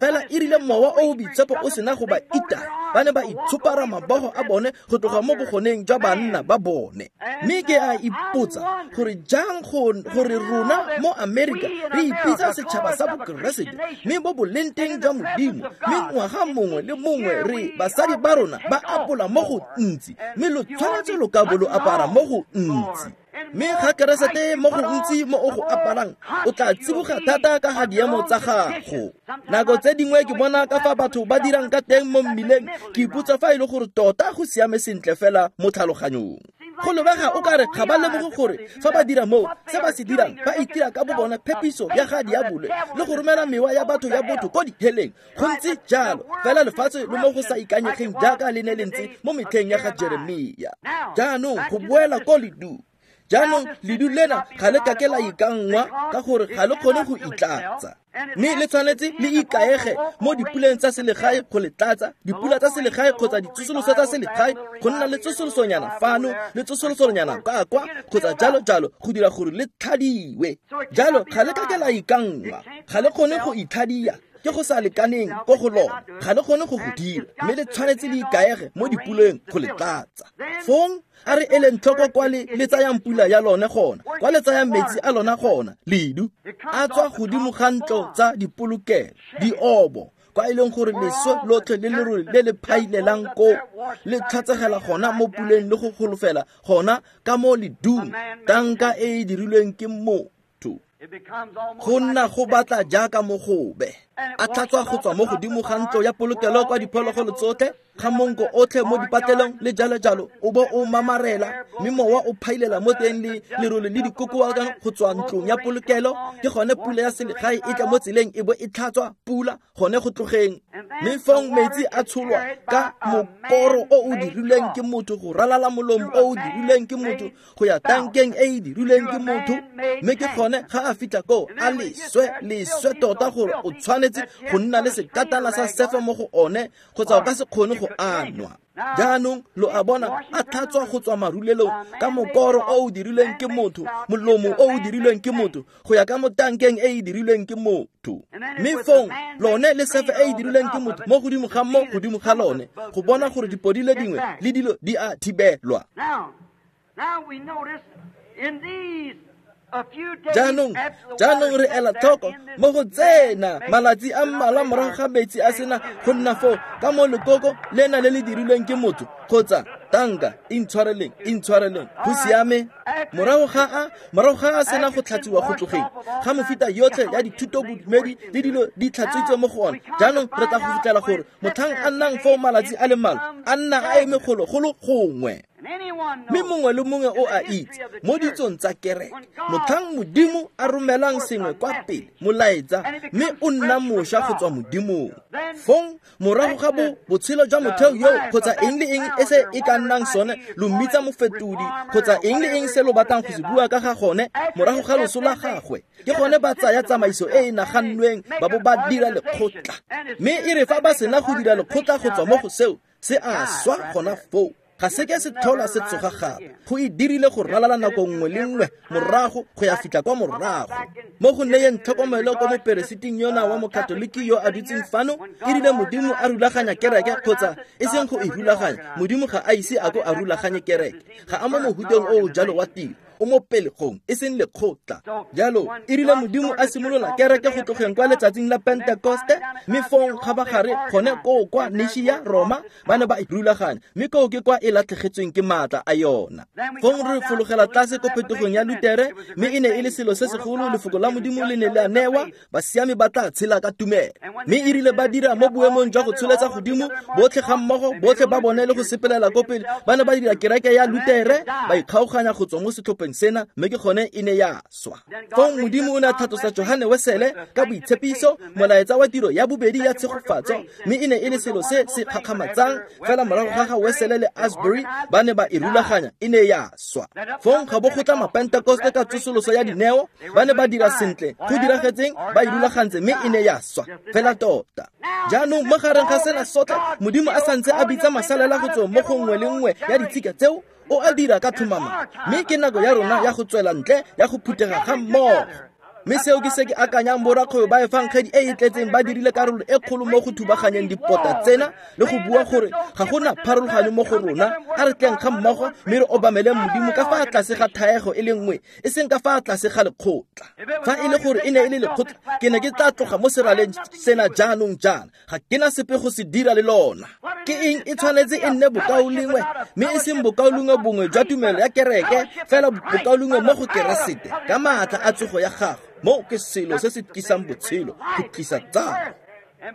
Fela e rile Mowa o o Boitshepo o sena go ba itaya, ba ne ba itshopara mabogo a bone go tloga mo bogoneng jwa banna ba bone. Mme ke a ipotsa gore jang gore rona mo Amerika re ipitsa setšhaba sa Bokeresete, mme bo boleng teng jwa Modimo, mme ngwaga mongwe le mongwe re basadi ba rona ba apola mo go ntsi, mme lo tshwanetse lo ka bo lo apara mo go ntsi. Mme ga Keresete mo go ntsi mo o go aparang, o tla tsiboga thata ka ga diemo tsa gago. Nako tse dingwe ke bona ka fa batho ba dirang ka teng mo mmileng, ke ipotsa fa e le gore tota go siame sentle fela mo tlhaloganyong. Go lebega o kare ga ba lemoge gore fa ba dira moo se ba se dirang ba itira ka bo bona phepiso ya ga diabolo le go romela mewa ya batho ya botho ko diheleng. Go ntse jalo fela lefatshe le mo go sa ikanyegeng jaaka le ne le ntse mo metlheng ya ga Jeremia. Jaanong go boela ko ledu. Jaanong ledu lena ga le kake la ikanngwa ka gore ga le kgone go itlatsa. Mme le tshwanetse le ikaege mo dipuleng tsa selegae go le tlatsa, dipula tsa selegae kgotsa ditsosoloso tsa selegae, go nna le tsosolosonyana fano le tsosolosonyana ka kwa kgotsa jalo jalo go dira gore le tlhadiwe. Jalo ga le kake la ikanngwa, ga le kgone go itlhadia, ke go sa lekaneng ko go lona, ga le kgone go go dira, mme le tshwanetse le ikaege mo dipuleng go le tlatsa. Fong a re eleng tlhoko kwa le le tsayang pula ya lone gona, kwa le tsayang metsi a lona gona, ledu a tswa godimo ga ntlo tsa dipolokelo, diobo, kwa e leng gore leswe lotlhe le lerole le le phailelang koo le tlhatsegela gona mo puleng le go golofela gona ka mo ledung, tanka e e dirilweng ke motho. Go nna go batla jaaka mogobe a tlhatswa go tswa mo godimo ga ntlo ya polokelo kwa diphologolo tsotlhe, ga monko otlhe mo dipatlelong le jalo jalo, o bo o mamarela, mme mowa o phailela mo teng le lerole le dikokoa go tswa ntlong ya polokelo. Ke gone pula ya selegae e tla mo tseleng e bo e tlhatswa pula gone go tlogeng. Mme fong metsi a tsholwa ka mokoro o o dirilweng ke motho go ralala molomo o o dirilweng ke motho go ya tankeng e e dirilweng ke motho. Mme ke gone ga a fitlha koo a leswe leswe tota gore o tshwanetse go nna le sekatana sa sefe mo go one kgotsa o ka se kgone go anwa. Jaanong lo a bona a tlhatswa go tswa marulelong ka mokoro o o dirilweng ke motho, molomo o o dirilweng ke motho go ya ka mo tankeng e e dirilweng ke motho. Mme fong lone le sefe e e dirilweng ke motho mo godimo ga mo godimo ga lone go bona gore dipodile dingwe le dilo di a thibelwa. Jaanong jaanong re ela tlhoko mo go tsena malatsi a mmalwa morago ga metsi a sena go nna foo ka mo lekoko lena le le dirilweng ke motho kgotsa tanka, intshwareleng intshwareleng go siame. Morago ga a morago ga a sena go tlhatsiwa go tlogeng ga mofita yotlhe ya dithuto bodumedi le dilo di tlhatswitswe mo go one, jaanong re tla go fitlhela gore motlhang a nnang foo malatsi a le mmalwa a nna a eme golo-golo gongwe. Mme mongwe le mongwe o a itse mo ditsong tsa kereke motlhang Modimo a romelang sengwe kwa pele molaetsa, mme o nna mošwa go tswa Modimong. Fong morago ga bo botshelo jwa motheo yo kgotsa eng le eng e se e ka nnang sone, lo mmitsa mofetodi kgotsa eng le eng se lo batlang go se bua ka ga gone, morago ga loso la gagwe ke gone ba tsaya tsamaiso e e nagannweng ba bo ba dira lekgotla. Mme e re fa ba sena go dira lekgotla go tswa mo go seo, se a swa gona foo, ga se ke se tlhola se tsoga gape. Go e dirile go ralala nako nngwe le nngwe morago go ya fitlha kwa morago. Mo go neyeng tlhokomelo ko moperesiting yona wa mokatoliki yo a dutseng fano, e rile Modimo a rulaganya kereke kgotsa e seng go e rulaganya, Modimo ga a ise a ko a rulaganye kereke, ga a mo mohuteng o o jalo wa tiro, o mo pelegong e seng lekgotla. Jalo e rile Modimo a simolola kereke go tlogeng kwa letsatsing la Pentekoste, mme fong kgabagare gone koo kwa Nishia Roma ba ne ba e rulaganya, mme koo ke kwa e latlhegetsweng ke maatla a yona. Fong re fologela tlase ko phetogong ya Lutere, mme e ne e le selo se segolo, lefoko la Modimo le ne le a newa, basiami ba tla tshela ka tumelo. Mme e rile ba dira mo boemong jwa go tsholetsa godimo botlhe ga mmogo, botlhe ba bone le go sepelela ko pele, ba ne ba dira kereke ya Lutere, ba ikgaoganya go tswa mo setlhopheng sena, mme ke gone e ne ya swa. Fong Modimo o ne a tlhatlosa Johane Wesele ka boitshepiso, molaetsa wa tiro ya bobedi ya tshegofatso, mme e ne e le selo se se kgakgamatsang. Fela morago ga ga Wesele le Asbury ba ne ba e rulaganya, e ne ya swa. Fong ga bo go tla Mapentekoste ka tsosoloso ya dineo, ba ne ba dira sentle, go diragetseng ba e rulagantse, mme e ne ya swa fela tota. Jaanong mo gareng ga sena sotlhe, Modimo a santse a bitsa masalela go tswa mo go nngwe le nngwe ya ditshika tseo, o a dira ka tlhomamo. Mme ke nako ya rona ya go tswela ntle, ya go phuthega ga mmogo. Mme seo ke se ke akanyang borakgwebo ba efangedi e e tletseng ba dirile karolo e kgolo mo go thubaganyeng dipota tsena le go bua gore ga gona pharologanyo mo go rona, a re tleng ga mmogo mme re obameleng Modimo ka fa tlase ga thaego e le nngwe, e seng ka fa tlase ga lekgotla. Fa e le gore e ne e le lekgotla, ke ne ke tla tloga mo seraleng sena jaanong jaana, ga ke na sepe go se dira le lona. Ke eng e tshwanetse e nne bokaulengwe, mme e seng bokaulengwe bongwe jwa tumelo ya kereke, fela bokaulengwe mo go Keresete ka maatla a tsogo ya gagwe. Mo ke selo se se tlisang botshelo, go tlisa tsalo.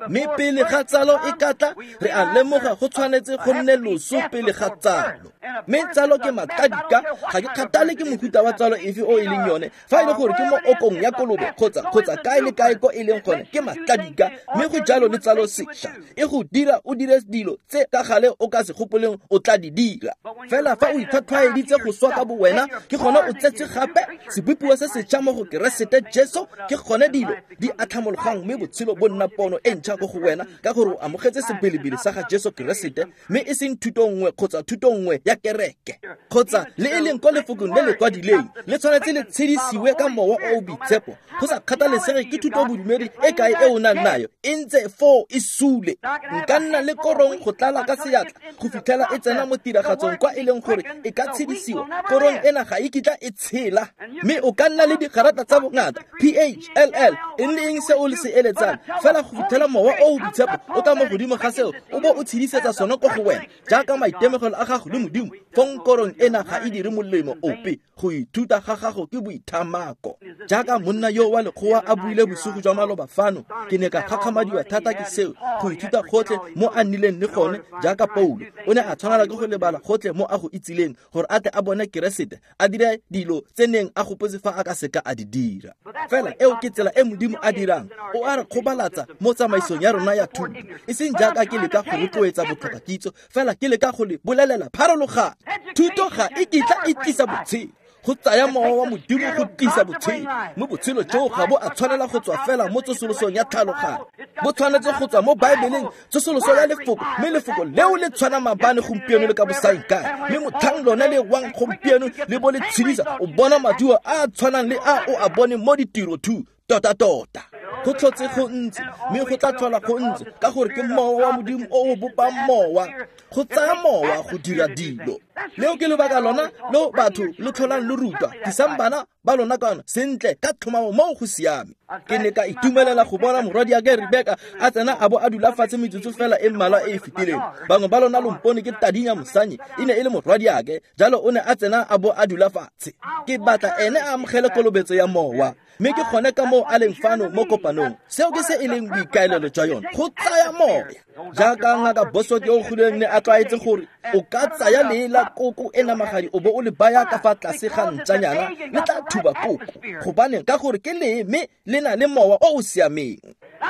Mme pele ga tsalo e ka tla, re a lemoga go tshwanetse go nne loso pele ga tsalo. Mme tsalo ke matladika, ga ke kgathale ke mohuta wa tsalo efe o e leng yone, fa e le gore ke mo okong ya kolobe kgotsa kgotsa kae le kae ko e leng gone, ke matladika. Mme go jalo le tsalo sešwa e go dira o dire dilo tse ka gale o ka se gopoleng o tla di dira. Fela fa o itlhwatlhwaeditse go swa ka bo wena, ke gone o tsetse gape sebopiwa se setšha mo go Keresete Jesu, ke gone dilo di atlhamologang mme botshelo bo nna pono e ntšha ko go wena, ka gore o amogetse sebelebele sa ga Jesu Keresete, mme e seng thuto nngwe kgotsa thuto nngwe ya kereke kgotsa le e leng ko lefokong le le kwadileng, le tshwanetse le tshedisiwe ka mowa o o boitshepo. Go sa kgathalesege ke thuto bodumedi e kae e o nang nayo, e ntse foo e sule. Nka nna le korong go tlala ka seatla go fitlhela e tsena mo tiragatsong kwa e leng gore e ka tshedisiwa. Korong ena ga e kitla e tshela. Mme o ka nna le digarata tsa bongata P H L L, eng le eng se o le se eletsang, fela go fitlhela mowa o o boitshepo o tla mo godimo ga seo o bo o tshedisetsa sone ko go wena jaaka maitemogelo a gago le Modimo, fong korong ena ga e dire molemo ope. Go ithuta ga gago ke boithamako. Jaaka monna yo wa lekgowa a buile bosigo jwa maloba fano, ke ne ka gakgamadiwa thata ke seo. Go ithuta gotlhe mo a nnileng le gone, jaaka Paulo o ne a tshwanela ke go lebala gotlhe mo a go itsileng gore a tle a bone Keresete, a dire dilo tse neng a gopotse fa a ka seka a di dira. Fela eo ke tsela e Modimo a dirang, o a re kgobalatsa mo tsamaisong ya rona ya thuto, e seng jaaka ke leka go rotloetsa botlhokakitso, fela ke leka go le bolelela pharologano. Thuto ga e kitla e tlisa botshelo, go tsaya mowa wa Modimo go tlisa botshelo. Mme botshelo joo ga bo a tshwanela go tswa fela mo tsosolosong ya tlhaloganyo, bo tshwanetse go tswa mo Baebeleng, tsosoloso ya lefoko. Mme lefoko leo le tshwana maabane, gompieno le ka bosaengkae. Mme motlhang lone le wang gompieno le bo le tshedisa, o bona maduo a a tshwanang le a o a boneng mo ditiro two tota-tota. Go tlhotse go ntse, mme go tla tlhola go ntse, ka gore ke mowa wa Modimo o o bopang mowa. Go tsaya mowa go dira dilo. Leo ke lebaka lona lo batho lo tlholang lo rutwa, tlisang bana ba lona kwano sentle ka tlhomamo moo go siame. Ke ne ka itumelela go bona morwadiake Rebeka a tsena a bo a dula fatshe metsotso fela e mmalwa e e fetileng. Bangwe ba lona lo mpone ke tadinya mosanyi, e ne e le morwadiake, jalo o ne a tsena a bo a dula fatshe. Ke batla ene a amogele kolobetso ya mowa, mme ke gone ka moo a leng fano mo kopanong. Seo ke se e leng boikaelelo jwa yone, go tsaya moya. Jaaka ngaka Bosworth yo o godileng ne a tlwaetse gore o ka tsaya lee la koko e namagadi o bo o le baya ka fa tlase ga ntšanyana, le tla thuba koko. Gobaneng? Ka gore ke lee mme le na le mowa o o siameng.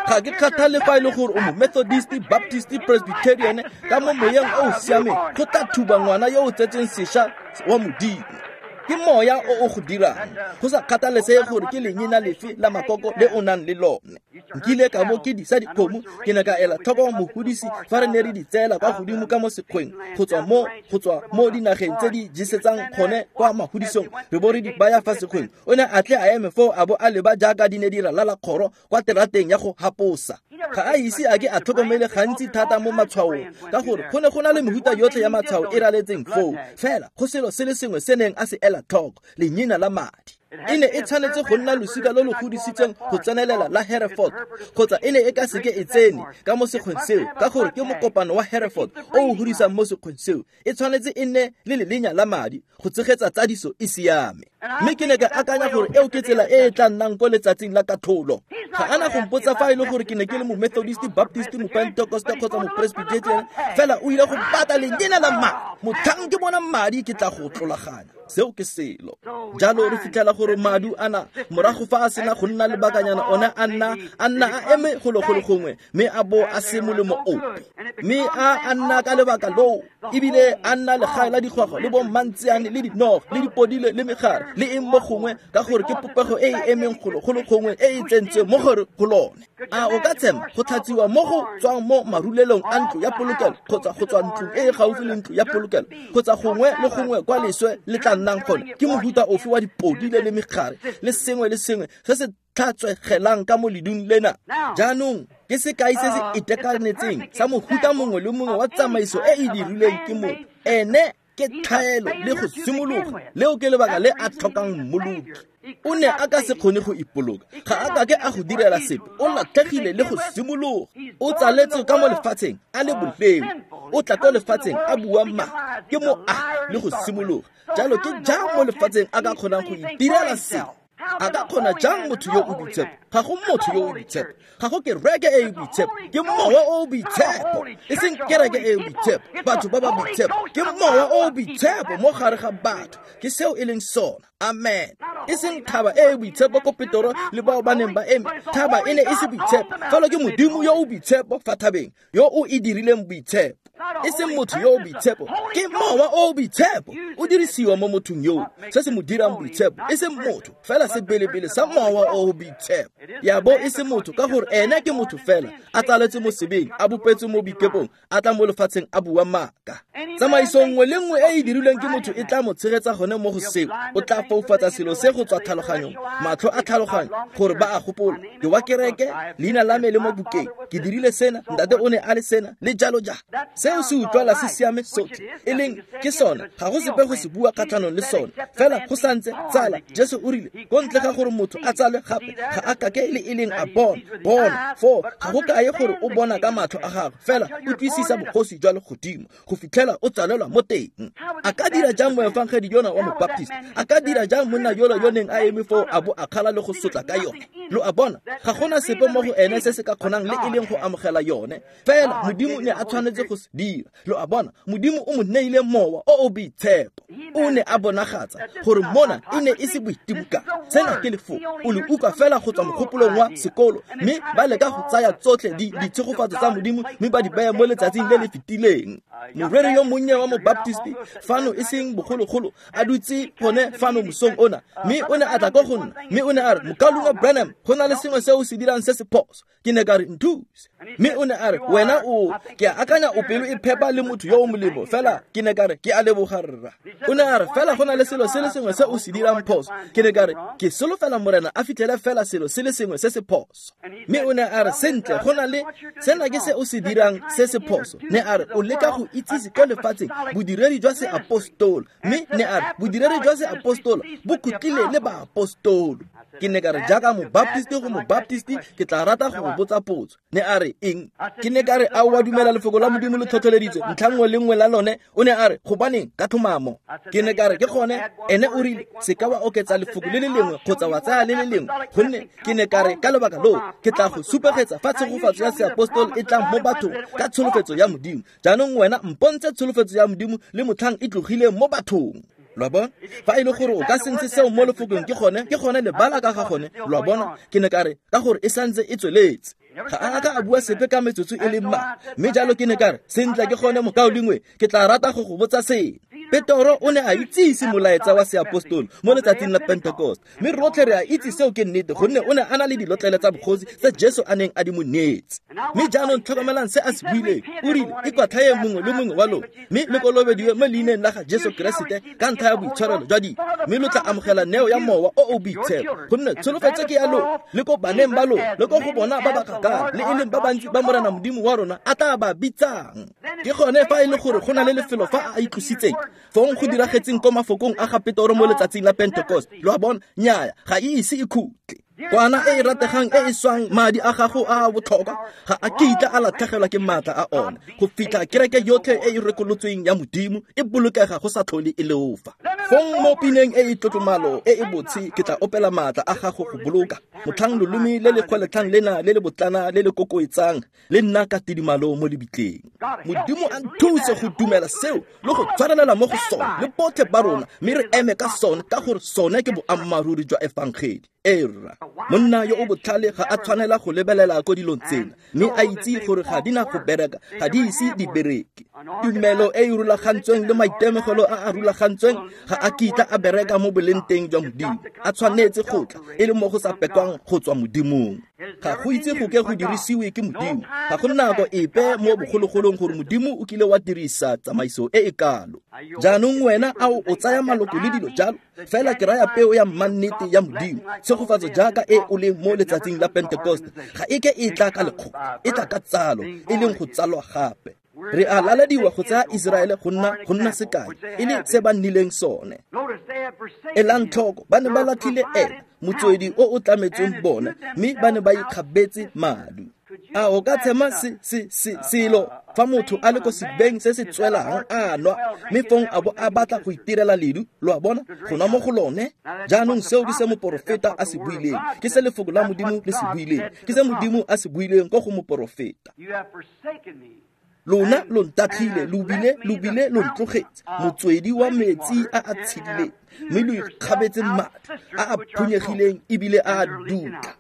Ga ke kgathale fa e le gore o mo Methodist, Baptist, Presbyterian, ka mo moyeng o o siameng go tla thuba ngwana yo o tsetseng sešwa wa Modimo. Ke moya o o go dirang, go sa kgathalesege gore ke lenyena lefe la makoko le o nang le lone. Nkile ka bo ke disa dikgomo, ke ne ka ela tlhoko mogodisi fa re ne re di tseela kwa godimo ka mo sekgweng, go tswa mo go tswa mo dinageng tse di jesetsang gone kwa magodisong, re bo re di baya fa sekgweng. O ne a tle a eme foo a bo a leba jaaka di ne di ralala kgoro kwa terateng ya go haposa. Ga a ise a ke a tlhokomele gantsi thata mo matshwaong, ka gore go ne go na le mehuta yotlhe ya matshwao e raletseng foo. Fela go selo se le sengwe se neng a se ela tlhoko, lenyena la madi. E ne e tshwanetse go nna losika lo lo godisitsweng go tsenelela la Hereford, kgotsa e ne e ka seke e tsene ka mo sekgweng seo, ka gore ke mokopano wa Hereford o o godisang mo sekgweng seo. E tshwanetse e nne le lelenya la madi go tsegetsa tsadiso e siame. Mme ke ne ka akanya gore eo ke tsela e e tla nnang ko letsatsing la katlholo. Ga ana go mpotsa fa e le gore ke ne ke le mo Methodist, Baptist, mo Pentecost kgotsa mo Presbyterian, fela o ile go batla lenyena la madi. Motlhang ke bona madi ke tla go tlolaganya. Seo ke selo. Jalo re fitlhela gore madu ana morago fa a sena go nna lebakanyana, one a nna a nna a eme golo golo gongwe, mme a bo a se molemo ope. Mme a a nna ka lebaka loo, ebile a nna legae la digwagwa le bommantseane le dinoga le dipodile le megare le eng mo gongwe, ka gore ke popego e e emeng golo golo gongwe e e tsentsweng mo gare go lone. A o ka tshema go tlhatsiwa mo go tswang mo marulelong a ntlo ya polokelo, kgotsa go tswa ntlong e e gaufi le ntlo ya polokelo, kgotsa gongwe le gongwe kwa leswe le tla nnang gone? Ke mohuta ofe wa dipodile le megare le sengwe le sengwe se se tlhatswegelang ka mo ledung lena? Jaanong ke sekai se se itekanetseng sa mohuta mongwe le mongwe wa tsamaiso e e dirilweng ke motho. Ene ke tlhaelo le go simologa, leo ke lebaka le a tlhokang mmoloki. O ne a ka se kgone go ipoloka, ga a ka ke a go direla sepe, o latlhegile le go simologa. O tsaletswe ka mo lefatsheng a le boleo, o tla ko lefatsheng a bua maaka, ke mo a le go simologa. Jalo ke jang mo lefatsheng a ka kgonang go itirela sepe? A ka kgona jang motho yo o boitshepo? Ga go motho yo o boitshepo, ga go kereke e e boitshepo, ke Mowa o o boitshepo, e seng kereke e e boitshepo, batho ba ba boitshepo, ke Mowa o o boitshepo mo gare ga batho. Ke seo e leng sona. Amen. E seng thaba e e boitshepo ko Petoro le bao ba neng ba eme. Thaba e ne e se boitshepo, fela ke Modimo yo o boitshepo fa thabeng, yo o e dirileng boitshepo. E seng motho yo o boitshepo, ke Mowa o o boitshepo o dirisiwa mo mothong yo, se se mo dirang boitshepo, e seng motho, fela sebelebele sa Mowa o o boitshepo. Ya bo e se motho, ka gore ene ke motho fela, a tsaletswe mo sebeng, a bopetswe mo boikepong, a tla mo lefatsheng a bua maaka. Tsamaiso nngwe le nngwe e e dirilweng ke motho e tla mo tshegetsa gone mo go seo. O tla foufatsa selo se go tswa tlhaloganyong, matlho a tlhaloganyo, gore ba a gopola, ke wa kereke, leina la me le mo bukeng, ke dirile sena, ntate o ne a le sena, le jalo jalo. Seo se utlwala se siame sotlhe, e leng ke sona, ga go sepe go se bua kgatlhanong le sone, fela go santse tsala. Jesu o rile, ko ntle ga gore motho a tsalwe gape, ga a kake le e leng a bona. Bona foo ga go kaye gore o bona ka matlho a gagwe, fela utlwisisa bogosi jwa legodimo go fitlhela o tsalelwa mo teng. A ka dira jang moefangedi yona wa mobaptist? A ka dira jang monna yola yo neng a eme foo a bo a kgala le go sotla ka yone? Lo a bona, ga gona sepe mo go ene se se ka kgonang le e leng go amogela yone, fela Modimo ne a tshwanetse go se dira. Lo a bona, Modimo o mo neile Mowa o o boitshepo. O ne a bonagatsa gore mona e ne e se boitimokanyo. Sena ke lefoko, o le utlwa fela go tswa mogopolong wa sekolo, mme ba leka go tsaya tsotlhe ditshegofatso tsa Modimo mme ba di baya mo letsatsing le le fetileng. Moreri yo monnye wa mobaptist fano e seng bogologolo a dutse gone fano mosong ona, mme o ne a tla ko go nna, mme o ne a re, Mokaulengwe Branham, go na le sengwe se o se dirang se se phoso. Ke ne ka re, nthuse. Mme o ne a re, wena o, ke a akanya o pelo e phepa le motho yo o molemo, fela ke ne ka re, ke a leboga rra. O ne a re, fela go na le selo se le sengwe se o se dirang phoso. Ke ne ka re, ke solofela Morena a fitlhele fela selo se le sengwe se se phoso. Mme o ne a re, sentle, go na le sena ke se o se dirang se se phoso. Ne a re, o leka go itsise ko lefatsheng bodiredi jwa seapostolo. Mme ne a re, bodiredi jwa seapostolo bo khutlile le baapostolo. Ke ne ka re, jaaka mobaptist go mobaptist, ke tla rata go botsa potso. Ne a re, eng? Ke ne ka re, a o a dumela lefoko la Modimo le tlhotlheleditswe ntlha nngwe le nngwe la lone? O ne a re, gobaneng, ka tlhomamo. Ke ne ka re, ke gone. Ene o rile, se ka wa oketsa lefoko le le lengwe kgotsa wa tsaya le le lengwe, gonne ke ne ka re, ka lebaka loo ke tla go supegetsa fa tshegofatso ya seapostolo e tlang mo bathong ka tsholofetso ya Modimo. Jaanong wena mpontshe tsholofetso ya Modimo le motlhang e tlogileng mo bathong. Lo a bona? Fa e le gore o ka se ntshe seo mo lefokong, ke gone, ke gone lebala ka ga gone. Lo a bona? Ke ne ka re, ka gore e santse e tsweletse. Ga a ka a bua sepe ka metsotso e le mmalwa. Mme jalo ke ne ka re, sentle, ke gone mokaulengwe, ke tla rata go go botsa sengwe. Petoro o ne a itsise molaetsa wa seapostolo mo letsatsing la Pentecost, mme rotlhe re a itse seo ke nnete, gonne o ne a na le dilotlele tsa bogosi tse Jesu a neng a di mo neetse. Mme jaanong tlhokomelang se a se buileng. O rile, ikwatlhaeng mongwe le mongwe wa lona, mme le kolobediwe mo leineng la ga Jesu Keresete ka ntlha ya boitshwarelo jwa dibe, mme lo tla amogela neo ya Mowa o o boitshepo, gonne tsholofetso ke ya lona, le ko baneng ba lona, le ko go bona ba ba kgakala, le e leng ba bantsi ba Morena Modimo wa rona a tla ba bitsang. Ke gone fa e le gore go na le lefelo fa a itlositseng, fong go diragetseng ko mafokong a ga Petoro mo letsatsing la Pentecost. Lo a bona? Nnyaya, ga e ise e khutle. Kwana e e rategang e e swang madi a gago a a botlhokwa ga a kitla a latlhegelwa ke maatla a one, go fitlha kereke yotlhe e e rekolotsweng ya Modimo e bolokega go sa tlhole e leofa. Fong mo pineng e e tlotlomalo e e botshe ke tla opela maatla a gago go boloka, motlhang lolome le le kgweletlhang lena le le botlana le le kokoetsang le nna ka tidimalo mo lebitleng. Modimo a nthuse go dumela seo le go tshwarelela mo go sone le botlhe ba rona, mme re eme ka sone, ka gore sone ke boammaaruri jwa efangedi. Era monna yo o botlhale ga a tshwanela go lebelela ko dilong tsena, mme a itse gore ga di na go bereka, ga di ise di bereke. Tumelo e e rulagantsweng le maitemogelo a a rulagantsweng ga a kitla a bereka mo boleng teng jwa Modimo. A tshwanetse go tla e le mo go sa pekwang go tswa Modimong. Ga go itse go ke go dirisiwe ke Modimo. Ga go nako epe mo bogologolong gore Modimo o kile wa dirisa tsamaiso e e kalo. Jaanong wena a o tsaya maloko le dilo jalo, fela ke raya peo ya mannete ya Modimo, tshegofatso jaaka e o leng mo letsatsing la Pentecost, ga e ke e tla ka lekgoka, e tla ka tsalo, e leng go tsalwa gape. Re a lalediwa go tsaya Iseraele go nna go nna sekai, e le se ba nnileng sone. Elang tlhoko, ba ne ba latlhile ena, motswedi o o tlametsweng bona, mme ba ne ba ikgabetse madu. A o ka tshema se se se selo fa motho a le ko sebeng se se tswelang a nwa, mme fong a bo a batla go itirela ledu, lo a bona, go nwa mo go lone? Jaanong seo ke se moporofeta a se buileng, ke se lefoko la Modimo le se buileng, ke se Modimo a se buileng ko go moporofeta. Lona lo ntatlhile, lo bile lo bile lo ntlogetse, motswedi wa metsi a a tshedileng, mme lo ikgabetse madi a a phunyegileng ebile a a dutla.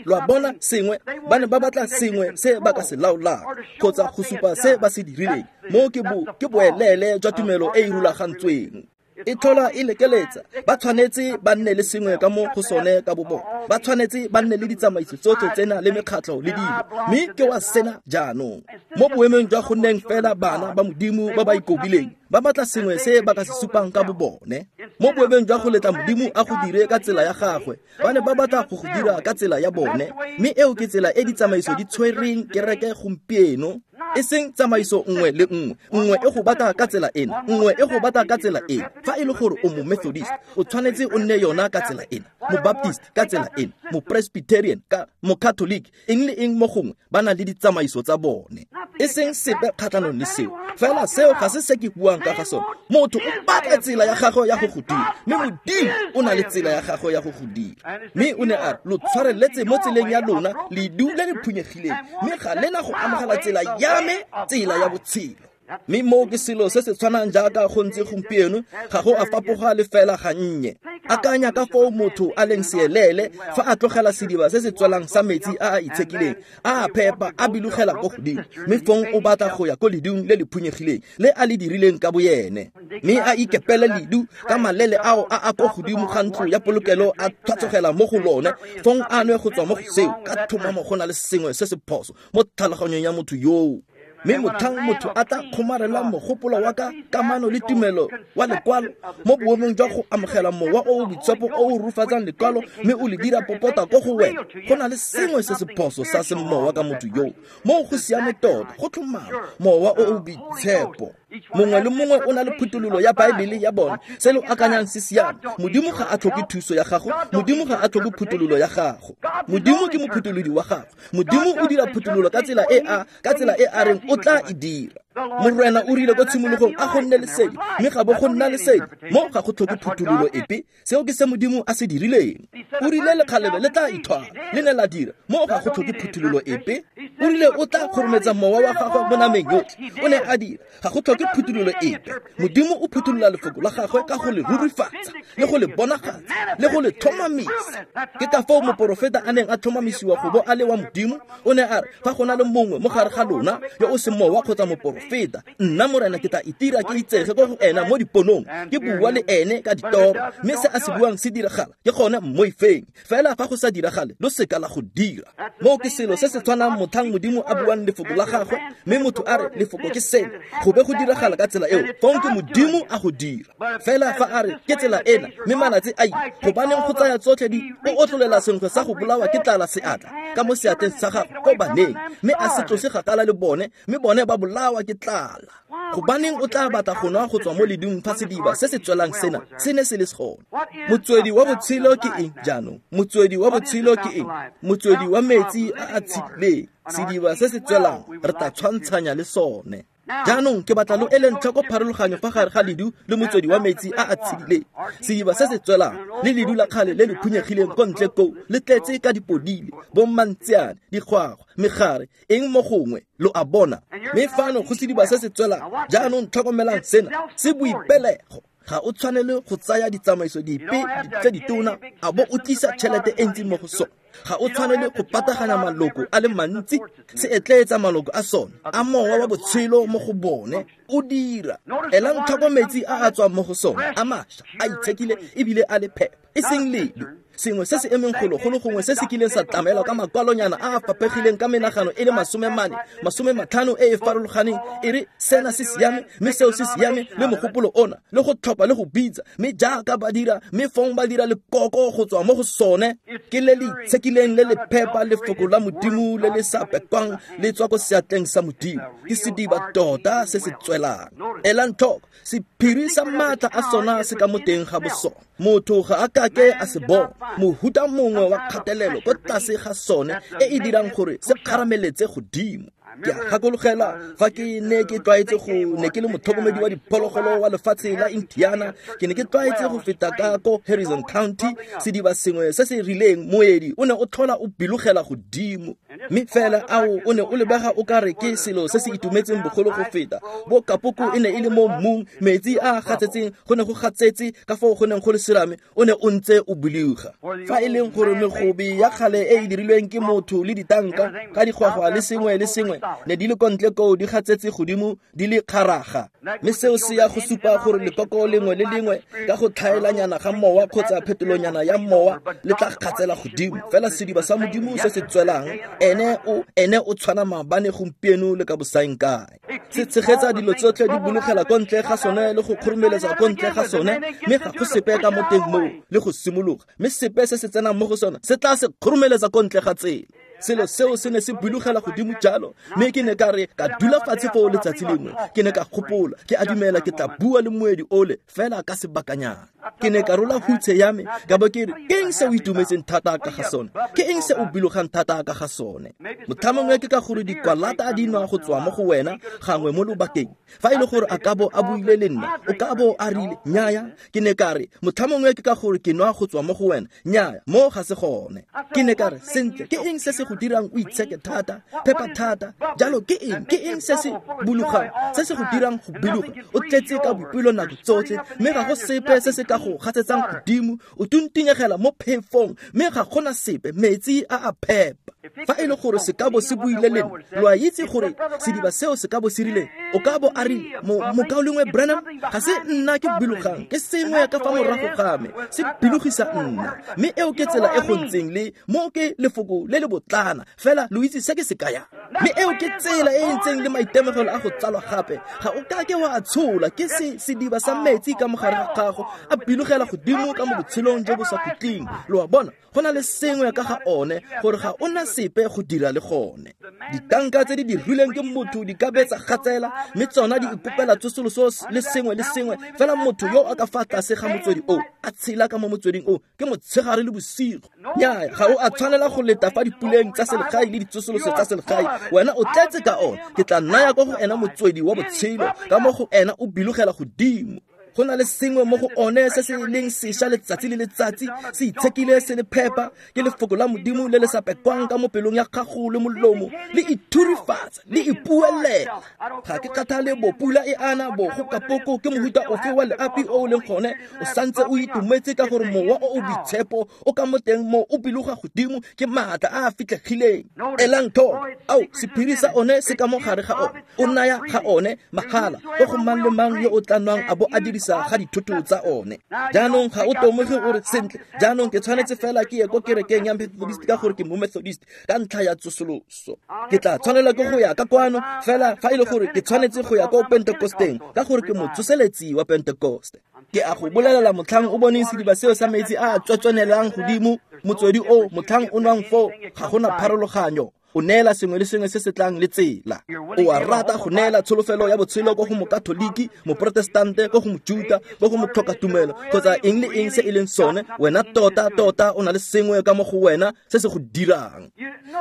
Lo a bona sengwe, ba ne ba batla sengwe se ba ka se laolang kgotsa go supa se ba se dirileng. Mo ke bo ke boelele jwa tumelo e e rulagantsweng. E tlhola e lekeletsa, ba tshwanetse ba nne le sengwe ka mo go sone ka bo bona, ba tshwanetse ba nne le ditsamaiso tsotlhe tsena le mekgatlho le dilo, mme ke wa sena jaanong. Mo boemong jwa go nneng fela bana ba Modimo ba ba ikobileng, ba batla sengwe se ba ka se supang ka bo bone. Mo boemong jwa go letla Modimo a go dire ka tsela ya gagwe, ba ne ba batla go go dira ka tsela ya bone, mme eo ke tsela e ditsamaiso di tshwereng kereke gompieno. E seng tsamaiso nngwe le nngwe, nngwe e go batla ka tsela ena, nngwe e go batla ka tsela ena. Fa e le gore o mo Methodist, o tshwanetse o nne yona ka tsela ena, mo Baptist ka tsela ena, mo Presbyterian ka mo Catholic, eng le eng mo gongwe ba na le ditsamaiso tsa bone. E seng sepe kgatlhanong le seo, fela seo ga se se ke buang ka ga sone. Motho o batla tsela ya gagwe ya go go dira, mme Modimo o na le tsela ya gagwe ya go go dira. Mme o ne a re, lo tshwareletse mo tseleng ya lona ledu le le phunyegileng, mme ga le na go amogela tsela ya me, tsela ya botshelo. Mme moo ke selo se se tshwanang jaaka go ntse gompieno, ga go a fapoga le fela gannye. Akanya ka foo motho a leng seelele fa a tlogela sediba se se tswelang sa metsi a a itshekileng, a a phepa, a bilogela ko godimo, mme fong o batla go ya ko ledung le le phunyegileng le a le dirileng ka boene, mme a ikepele ledu ka malele ao a a ko godimo ga ntlo ya polokelo a tlhatlogela mo go lone, fong a nwe go tswa mo go seo. Ka thomamo go na le sengwe se se phoso mo tlhaloganyong ya motho yoo. Mme motlhang motho a tla kgomarela mogopolo wa ka kamano le tumelo wa lekwalo mo boemong jwa go amogela mowa o o boitshepo o o rufatsang lekwalo mme o le dira popota ko go wena, go na le sengwe se se phoso sa semowa ka motho yoo. Moo go siame tota, go tlhomama, mowa o o boitshepo. Mongwe le mongwe o na le phuthololo ya Baebele ya bone, se lo akanyang se siame. Modimo ga a tlhoke thuso ya gago, Modimo ga a tlhoke phuthololo ya gago. Modimo ke mophutholodi wa gago. Modimo o dira phuthololo ka tsela e a ka tsela e a reng o tla e dira. Morena o rile ko tshimologong a go nne lesedi, mme ga bo go nna lesedi. Mo ga go tlhoke phuthololo epe, seo ke se Modimo a se dirileng. O rile lekgalebe le tla ithwala, le ne la dira. Mo ga go tlhoke phuthololo epe. O rile o tla kgorometsa mowa wa gagwe mo nameng yotlhe, o ne a dira. Ga go tlhoke phuthololo epe. Modimo o phuthulola lefoko la gagwe ka go le rurifatsa, le go le bonagatsa, le go le tlhomamisa. Ke ka foo moporofeta a neng a tlhomamisiwa go bo a le wa Modimo. O ne a re, fa go na le mongwe mo gare ga lona yo o seng mowa kgotsa moporofeta, nna Morena ke tla itira ke itsege ko go ena mo diponong, ke bua le ene ka ditoro, mme se a se buang se diragala, ke gone mmoifeng. Fela fa go sa diragale, lo seka la go dira. Moo ke selo se se tshwanang motlhang Modimo a buang lefoko la gagwe, mme motho a re lefoko ke sena, go be go diragala ka tsela eo, fong ke Modimo a go dira. Fela fa a re ke tsela ena, mme malatsi a ile, gobaneng go tsaya tsotlhe di o otlolela senkgwe sa go bolawa ke tlala seatla ka mo seatleng sa gagwe ko baneng, mme a se tlose gakala le bone, mme bone ba bolawa ke tlala. Gobaneng o tla batla go nwa go tswa mo ledung fa sediba se se tswelang sena se ne se le gone? Motswedi wa botshelo ke eng jaanong? Motswedi wa botshelo ke eng? Motswedi wa metsi a a tshedileng, sediba se se tswelang, re tla tshwantshanya le sone. Jaanong ke batla lo eleng tlhoko pharologanyo fa gare ga ledu le motswedi wa metsi a a tshedileng. Sediba se se tswelang le ledu la kgale le le phunyegileng ko ntle koo le tletse ka dipodile, bommantseane, dikgwagwa, megare, eng mo gongwe, lo a bona. Mme fano go sediba se se tswelang, jaanong tlhokomelang sena, se boipelego. Ga o tshwanele go tsaya ditsamaiso dipe tse ditona a bo o tlisa tšhelete e ntsi mo go sone. Ga o tshwanele go pataganya maloko a le mantsi, se etleetsa maloko a sone a mowa wa botshelo mo go bone o dira. Elang tlhoko metsi a a tswang mo go sone, a mašwa, a itshekile ebile a le phepa, e seng ledu. Sengwe se se emeng golo go le gongwe se se kileng sa tlamelwa ka makwalonyana a a faphegileng ka menagano e le masome mane, masome matlhano e e farologaneng, e re sena se siame, mme seo se siame, le mogopolo ona, le go tlhopha le go bitsa, mme jaaka ba dira, mme fong ba dira lekoko go tswa mo go sone, ke le le itshekileng itshekileng le le phepa lefoko la Modimo le le sa pekwang le tswa ko seatleng sa Modimo. Ke sediba tota se se tswelang. Elang tlhoko, sephiri sa maatla a sona se ka mo teng ga bosone. Motho ga a kake a se bona. Mohuta mongwe wa kgatelelo ko tlase ga sone e e dirang gore se kgarameletse godimo. Ke a gakologela fa ke ne ke tlwaetse go ne ke le motlhokomedi wa diphologolo wa lefatshe la Indiana, ke ne ke tlwaetse go feta ka ko Harrison County, sediba sengwe se se rileng moedi o ne o tlhola o bilogela godimo. Mme fela ao o ne o lebega o kare ke selo se se itumetseng bogolo go feta. Bo kapoko e ne e le mo mmung, metsi a a gatsetseng go ne go gatsetse ka foo go neng go le serame, o ne o ntse o biloga. Fa e leng gore megobe ya kgale e e dirilweng ke motho le ditanka ka digwagwa le sengwe le sengwe ne di le kontle koo di gatsetse godimo di le kgaraga. Mme seo se ya go supa gore lekoko lengwe le lengwe ka go tlhaelanyana ga mowa kgotsa phetolonyana ya mowa le tla gatsela godimo. Fela sediba sa Modimo se se tswelang, ene o ene o tshwana maabane gompieno le ka bosaengkae. Se tshegetsa dilo tsotlhe di bologela ko ntle ga sone le go kgoromeletsa ko ntle ga sone, mme ga go sepe ka mo teng moo le go simologa, mme sepe se se tsenang mo go sone se tla se kgoromeletsa ko ntle ga tsela. Selo seo se ne se bilogela godimo jalo, mme ke ne ka re ka dula fatshe foo letsatsi lengwe, ke ne ka gopola, ke a dumela ke tla bua le moedi ole fela ka sebakanyana. Ke ne ka rola hutshe ya me, ka bo ke re, ke eng se o itumetseng thata ka ga sone? Ke eng se o bilogang thata ka ga sone? Motlhamongwe ke ka gore dikwalata di nwa go tswa mo go wena gangwe mo lobakeng. Fa e le gore a ka bo a buile le nna, o ka bo a rile, nnyaya. Ke ne ka re, motlhamongwe ke ka gore ke nwa go tswa mo go wena, nnyaya, mo ga se gone. Ke ne ka re, sentle, ke eng se se go dirang o itsheke thata, phepa thata, jalo ke eng? Ke eng se se bologang, se se go dirang go biloga? O tletse ka boipelo nako tsotlhe, mme ga go sepe se se ka go gatsetsang godimo, o tuntinyegela mo phefong, mme ga gona sepe, metsi a a phepa. Fa e le gore se ka bo se buile le nna, lo a itse gore sediba seo se ka bo se rileng, o ka bo a rile, mokaulengwe Branham, ga se nna ke bilogang, ke sengwe ka fa morago ga me, se bilogisa nna. Mme eo ke tsela e go ntseng le mo ke lefoko le le botlana, fela lo itse se ke se kayang. Mme eo ke tsela e e ntseng le maitemogelo a go tsalwa gape, ga o kake wa a tshola, ke se sediba sa metsi ka mogare ga gago, a bilogela godimo ka mo botshelong jo bo sa khutleng. Lo a bona, go na le sengwe ka ga one gore ga o na sepe go dira le gone. Ditanka tse di dirilweng ke motho di ka betsa gatsela, mme tsona di ikopela tsosoloso le sengwe le sengwe, fela motho yo a ka fa tlase ga motswedi o, a tshela ka mo motsweding o, ke motshegare le bosigo. Nnyaya, ga o a tshwanela go leta fa dipuleng tsa selegae le ditsosoloso tsa selegae, wena o tletse ka one. Ke tla naya kwa go ena motswedi wa botshelo, ka mo go ena o bilogela godimo. Go na le sengwe mo go one se se leng sešwa letsatsi le letsatsi, se itshekile se le phepa, ke lefoko la Modimo le le sa pekwang ka mo pelong ya gago le molomo, le ithurifatsa, le ipuelela. Ga ke kgathale bo pula e ana bo go kapoko ke mohuta ofe wa leapi o o leng gone, o santse o itumetse ka gore mowa o o boitshepo o ka mo teng mo o biloga godimo ke maatla a a fitlhegileng. Elang tlhoko, ao sephiri sa one se ka mo gare ga one, o naya ga one mahala ko go mang le mang yo o tla nwang a bo a dirisa ga dithoto tsa one. Jaanong ga o tomoge o re sentle, jaanong ke tshwanetse fela ke ye ko kerekeng ya Methodist ka gore ke mo Methodist ka ntlha ya tsosoloso. Ke tla tshwanela ke go ya ka kwano fela fa e le gore ke tshwanetse go ya ko Pentecosteng ka gore ke motsoseletsi wa Pentecoste. Ke a go bolelela, motlhang o boneng sediba seo sa metsi a a tswetswenelang godimo, motswedi o motlhang o nwang foo, ga gona pharologanyo. O neela sengwe le sengwe se se tlang le tsela. O a rata go neela tsholofelo ya botshelo ko go mokatholiki, moprotestante, ko go mojuta, ko go motlhokatumelo, kgotsa eng le eng se e leng sone, wena tota tota o na le sengwe ka mo go wena se se go dirang.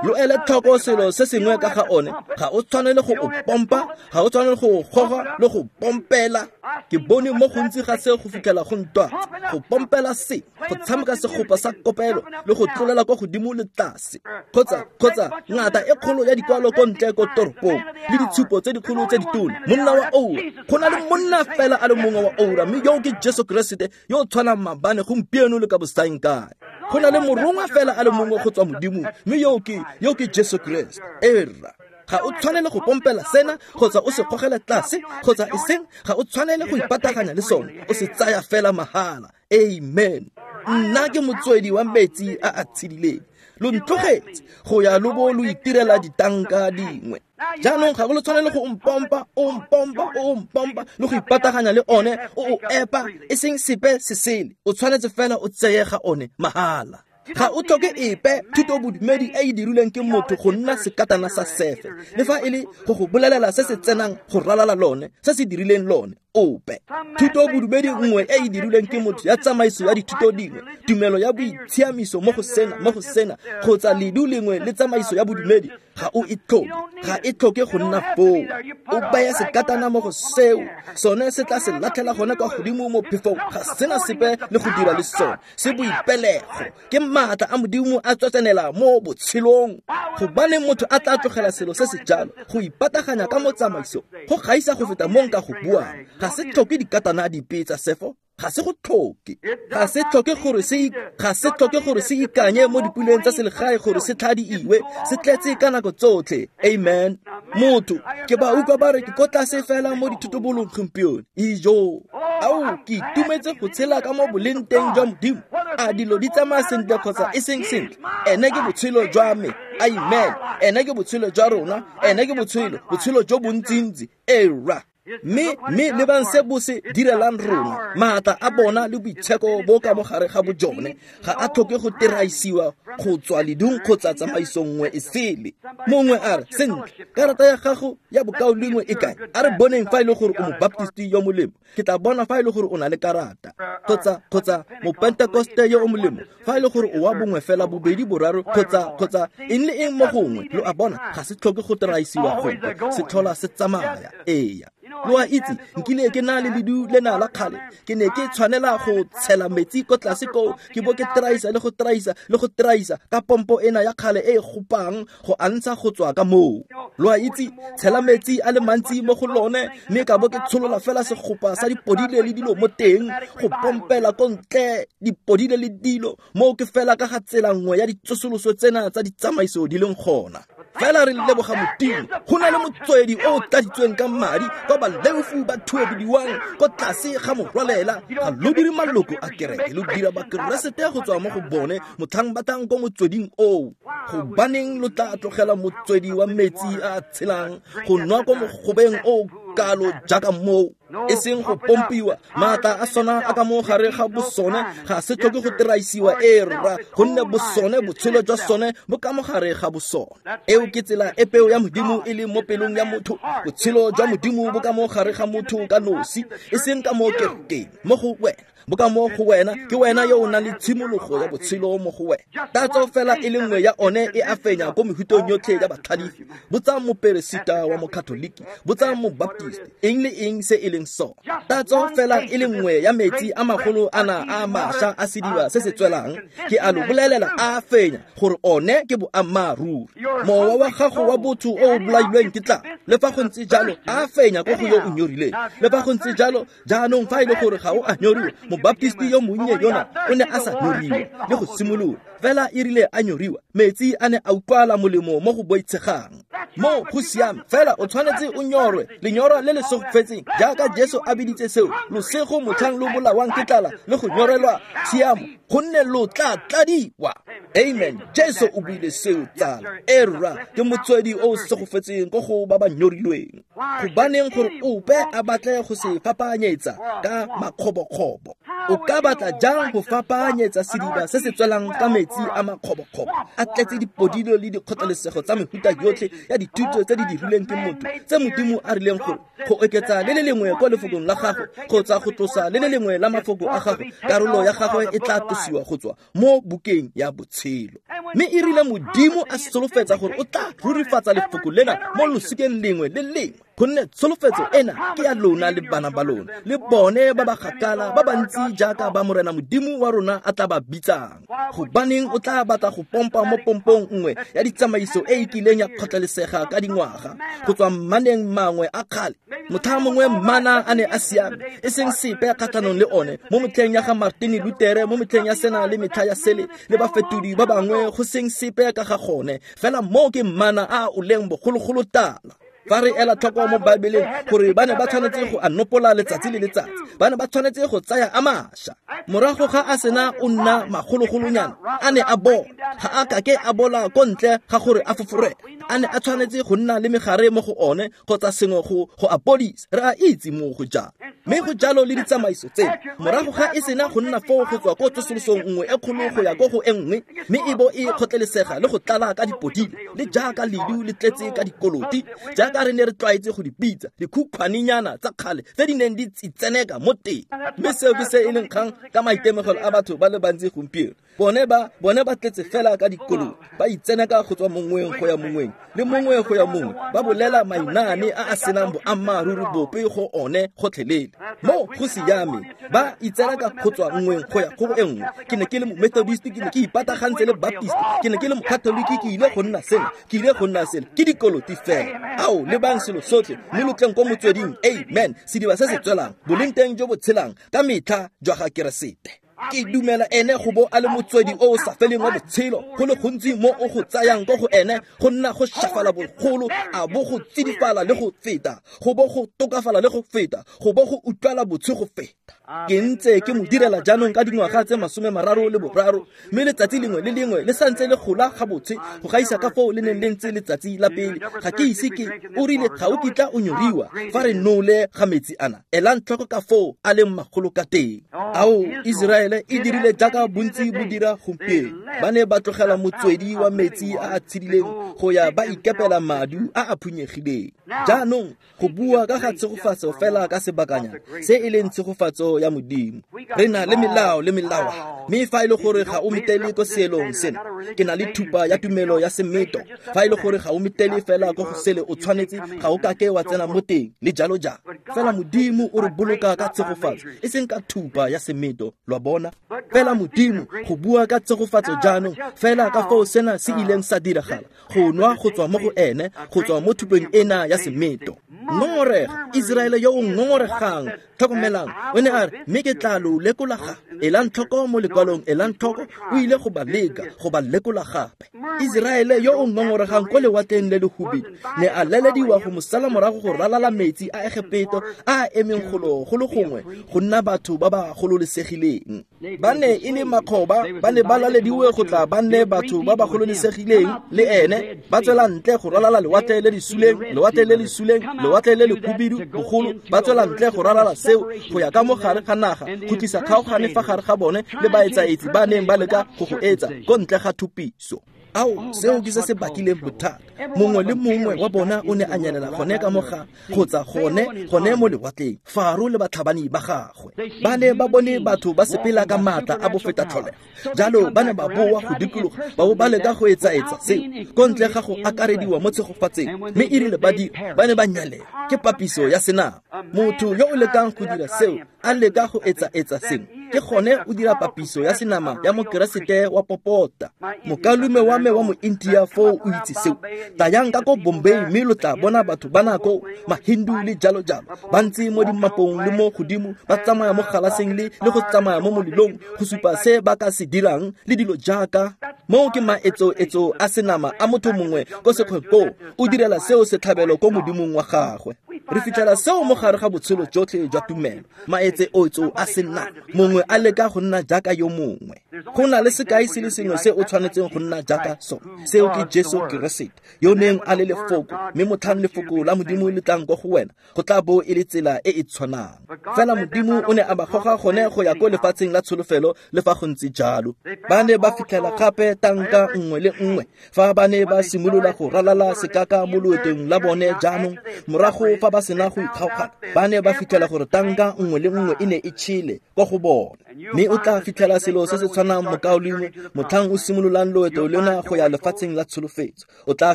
Lo ele tlhoko selo se sengwe ka ga one, ga o tshwanele go o pompa, ga o tshwanele go o goga le go pompela. Ke bone mo gontsi ga se go fitlhela go ntwa, go pompela se, go tshameka segopa sa kopelo le go tlolela kwa godimo le tlase, kgotsa kgotsa ngata e kgolo ya dikwalo ko ntle ko toropong le ditshupo tse dikgolo tse ditona. Monna wa oura, go na le monna fela a le mongwe wa oura, mme yo ke Jesu Keresete yo o tshwanang maabane, gompieno le ka bosaengkae. Go na le morongwa fela a le mongwe go tswa Modimong, mme yo ke yo ke Jesu Keresete. Erra, ga o tshwanele go pompela sena kgotsa o se gogele tlase kgotsa eseng, ga o tshwanele go ipataganya le sone, o se tsaya fela mahala. Amen. Nna ke motswedi wa metsi a a tshedileng. Lo ntlogetse go ya lo bo lo itirela ditanka dingwe. Jaanong ga go le tshwanele go mpompa, o mpompa, o mpompa le go ipataganya le one, o o epa, e seng sepe se sele. O tshwanetse fela o tseye ga one mahala. Ga o tlhoke epe thutobodumedi e e dirilweng ke motho go nna sekatana sa sefe, le fa e le go go bolelela se se tsenang go ralala lone, se se dirileng lone ope. Thutobodumedi nngwe e e dirilweng ke motho ya tsamaiso ya dithuto dingwe, tumelo ya boitshiamiso mo go sena, mo go sena, kgotsa ledu lengwe le tsamaiso ya bodumedi, ga o e tlhoke, ga e tlhoke go nna foo. O baya sekatana mo go seo, sone se tla se latlhela gone kwa godimo mo phefong, ga sena sepe le go dira le sone. Se boipelego, ke maatla a Modimo a tswetsenela mo botshelong. Gobane motho a tla tlogela selo se se jalo go ipataganya ka mo tsamaiso, go gaisa go feta mo nka go buang. Ga se tlhoke dikatana dipe tsa sefo, ga se go tlhoke, ga se tlhoke gore se ga se tlhoke gore se ikanye mo dipuleng tsa selegae gore se tlhadiiwe, se tletse ka nako tsotlhe. Amen. Motho ke ba utlwa ba re ke ko tlase fela mo dithutobolong gompieno. Ijo, ao ke itumetse go tshela ka mo boleng teng jwa Modimo. A dilo di tsamaya sentle kgotsa e seng sentle, ene ke botshelo jwa me. Amen. Ene ke botshelo jwa rona, ene ke botshelo, botshelo jo bontsintsi. Era. Mme mme lebang se bo se direlang rona, maatla a bona le boitsheko bo ka mogare ga bojone ga a tlhoke go teraisiwa go tswa ledung kgotsa tsamaiso nngwe e sele. Mongwe a re, sentle, karata ya gago ya bokaulengwe e kae? A re boneng fa e le gore o mobaptisti yo molemo, ke tla bona fa e le gore o na le karata. Kgotsa kgotsa mopentekoste yo o molemo, fa e le gore o wa bongwe fela, bobedi, boraro, kgotsa kgotsa eng le eng mo gongwe. Lo a bona, ga se tlhoke go teraisiwa gope, se tlhola se tsamaya. Eya. Lo a itse, nkile ke na le ledu lena la kgale, ke ne ke tshwanela go tshela metsi ko tlase koo, ke bo ke traisa le go traisa le go traisa ka pompo ena ya kgale e e gopang go antsha go tswa ka moo. Lo a itse, tshela metsi a le mantsi mo go lone, mme ka bo ke tsholola fela segopa sa dipodile le dilo mo teng, go pompela ko ntle dipodile le dilo, moo ke fela ka ga tsela nngwe ya ditsosoloso tsena tsa ditsamaiso di leng gona. Fela re leboga Modimo, go na le motswedi o o tladitsweng ka madi kwa baleofu ba thuediwang ko tlase ga morwalela. Ga lo dire maloko a kereke, lo dira bakeresete go tswa mo go bone motlhang ba tlang ko motsweding oo. Gobaneng lo tla tlogela motswedi wa metsi a a tshelang go nwa ko mogobeng o kalo jaaka moo? E seng go pompiwa, maatla a sona a ka mo gare ga bosone ga se tlhoke go teraisiwa. E rra, gonne bosone, botshelo jwa sone bo ka mo gare ga bosone. Eo ke tsela e peo ya Modimo e leng mo pelong ya motho. Botshelo jwa Modimo bo ka mo gare ga motho ka nosi, e seng ka mo kerekeng, mo go wena. Bo ka mo go wena, ke wena yo o nang le tshimologo ya botshelo mo go wena. Tatso fela e le nngwe ya one e a fenya ko mehutong yotlhe ya batlhalefi. Botsang moperesita wa mokatoliki, botsang mobaptist, eng le eng se e leng sone. Tatso fela e le nngwe ya metsi a magolo ana a mašwa a sediba se se tswelang, ke a lo bolelela a fenya gore one ke boammaaruri. Mowa wa gago wa botho o o bolailweng ke tlala, le fa go ntse jalo a fenya ko go yo o nyorileng. Le fa go ntse jalo, jaanong fa e le gore ga o a nyoriwa, mobaptisti yo monnye yona o ne a sa nyoriwa le go simolola, fela e rile a nyoriwa, metsi a ne a utlwala molemo mo go boitshegang. Mo go siame, fela o tshwanetse o nyorwe lenyora le le segofetseng, jaaka Jesu a biditse seo, losego motlhang lo bolawang ke tlala le go nyorelwa tshiamo, gonne lo tla tladiwa. Amen. Jesu o buile seo, tsala. Era ke motswedi o o segofetseng ko go ba ba nyorilweng. Gobaneng gore ope a batle go se fapanyetsa ka makgobokgobo? O ka batla jang go fapanyetsa sediba se se tswelang ka metsi a makgobokgobo, a tletse dipodilo le dikgotlelesego tsa mehuta yotlhe ya dithuto tse di dirilweng ke motho, tse Modimo a rileng gore go oketsa le le lengwe ko lefokong la gago kgotsa go tlosa le le lengwe la mafoko a gago, karolo ya gagwe e tla tlosiwa go tswa mo bukeng ya botshelo. Mme e rile Modimo a solofetsa gore o tla rurifatsa lefoko lena mo losikeng lengwe le lengwe, gonne tsholofetso ena ke ya lona le bana ba lona le bone ba ba kgakala ba bantsi jaaka ba Morena Modimo wa rona a tla ba bitsang. Gobaneng o tla batla go pompa mo pompong nngwe ya ditsamaiso e e kileng ya kgotlelesega ka dingwaga go tswa mmaneng mangwe a kgale? Motlha mongwe mmana a ne a siame, e seng sepe kgatlhanong le one mo metlheng ya ga Martin Luther, mo metlheng ya sena le metlha ya sele le bafetodi ba bangwe, go seng sepe ka ga gone. Fela moo ke mmana a o leng bogologolo tala. Fa re ela tlhoko mo Baebeleng gore ba ne ba tshwanetse go a nopola letsatsi le letsatsi, ba ne ba tshwanetse go tsaya a mašwa. Morago ga a sena o nna magologolonyana, a ne a bola, ga a kake a bola ko ntle ga gore a foforege. A ne a tshwanetse go nna le megare mo go one kgotsa sengwe go go a podisa. Re a itse mo go jalo. Mme go jalo le ditsamaiso tseno. Morago ga e sena go nna foo go tswa ko tsosolosong nngwe e kgolo go ya ko go e nngwe, mme e bo e kgotlelesega le go tlala ka dipodile, le jaaka ledu le tletse ka dikoloti, jaaka re ne re tlwaetse go di bitsa dikhukhwanenyana tsa kgale tse di neng di tseneka mo teng. Mme seo ke se e leng kgang ka maitemogelo a batho ba le bantsi gompieno. Bone ba bone ba tletse fela ka dikoloti, ba itseneka go tswa mongweng go ya mongweng le mongwe go ya mongwe, ba bolela mainane a a senang boammaaruri bope go one gotlhelele. Mo go siame, ba itseneka go tswa nngweng go ya go e nngwe. Ke ne ke le Methodist, ke ne ke ipatagantse le Baptist, ke ne ke le Mokatoliki, ke ile go nna sena, ke ile go nna sele. Ke dikoloti fela. Ao, lebang selo sotlhe mme lo tleng ko motsweding. Amen. Sediba se se tswelang, boleng teng jo bo tshelang ka metlha jwa ga Keresete. Ke dumela ene go bo a le motswedi o o sa feleng wa botshelo, go le gontsi mo o go tsayang ko go ene go nna go shafala bogolo, a bo go tsidifala le go feta, go bo go tokafala le go feta, go bo go utlwala botshe go feta. Ke ntse ke mo direla jaanong ka dingwaga tse masome mararo le boraro, mme letsatsi lengwe le lengwe le santse le gola ga botse go gaisa ka foo le neng le ntse letsatsi la pele. Ga ke ise ke o rile ga o kitla o nyoriwa fa re nole ga metsi ana. Elang tlhoko ka foo a leng magolo ka teng. Ao, Israele e dirile jaaka bontsi bo dira gompieno. Ba ne ba tlogela motswedi wa metsi a a tshedileng go ya ba ikepela madu a a phunyegileng. Jaanong go bua ka ga tshegofatso fela ka sebakanyana se e leng tshegofatso ya Modimo. Re na le melao le melawana, mme fa e le gore ga o metele ko seelong sena, ke na le thupa ya tumelo ya semeto. Fa e le gore ga o metele fela ko go sele o tshwanetse, ga o kake wa tsena mo teng le jalo jalo. Fela Modimo o re boloka ka tshegofatso, e seng ka thupa ya semeto, lo a bona. Fela Modimo go bua ka tshegofatso jaanong, fela ka foo sena se ileng sa diragala, go nwa go tswa mo go ene, go tswa mo thupeng ena ya semeto. Ngongorega, Israele yo o ngongoregang, tlhokomelang, o ne a re, mme ke tla lo lekola gape. Elang tlhoko mo lekwalong, elang tlhoko, o ile go ba leka, go ba lekola gape. Israele yo o ngongoregang ko lewatleng le le hubidu ne a lelediwa go mo sala morago go ralala metsi a Egepeto a a emeng golo go le gongwe go nna batho ba ba gololesegileng. Ba ne e le makgoba, ba ne ba lalediwe go tla ba nne batho ba ba gololesegileng le ene, ba tswela ntle go ralala lewatle le le suleng, lewatle le le suleng, lewatle le le hubidu bogolo, ba tswela ntle go ralala seo go ya ka mo gare ga naga, go tlisa kgaogane fa gare ga bone le baetsaetsi ba neng ba leka go go etsa ko ntle ga thupiso. Ao, seo ke se se bakileng bothata. Mongwe le mongwe wa bona o ne a nyelela gone ka moga kgotsa gone gone mo lewatleng. Faro le batlhabani ba gagwe ba ne ba bone batho ba sepela ka maatla a bofeta tlholego, jalo ba ne ba boa go dikologa ba bo ba leka go etsaetsa seo ko ntle ga go akarediwa mo tshegofatseng. Mme e rile ba dira, ba ne ba nyelela. Ke papiso ya senama. Motho yo o lekang go dira seo, a leka go etsaetsa sengwe, ke gone o dira papiso ya senama ya Mokeresete wa popota. Mokalume wa me wa mo India foo o itse seo. Tlayang ka ko Bombay mme lo tla bona batho ba nako Mahindu le jalo jalo ba ntse mo dimapong le mo godimo, ba tsamaya mo galaseng le le go tsamaya mo molelong go supa se ba ka se dirang le dilo jaaka moo. Ke maetsoetso a senama a motho mongwe ko sekgweng koo, o direla seo setlhabelo ko modimong wa gagwe. Re fitlhela seo mo gare ga botshelo jotlhe jwa tumelo, maetsoetso a senama, mongwe a leka go nna jaaka yo mongwe. Go na le sekai se le sengwe se o tshwanetseng go nna jaaka sone, seo ke Jesu Keresete yo neng a le lefoko, mme motlhang lefoko la Modimo le tlang ko go wena, go tla bo e le tsela e e tshwanang. Fela Modimo o ne a ba goga gone go ya ko lefatsheng la tsholofelo. Le fa go ntse jalo, ba ne ba fitlhela gape tanka nngwe le nngwe fa ba ne ba simolola go ralala sekaka mo loetong la bone. Jaanong morago fa ba sena go ikgaogana, ba ne ba fitlhela gore tanka nngwe le nngwe e ne e tšhele ko go bona. Mme o tla fitlhela selo se se tshwanang mokaulengwe motlhang o simololang loeto lena go ya lefatsheng la tsholofetso. O tla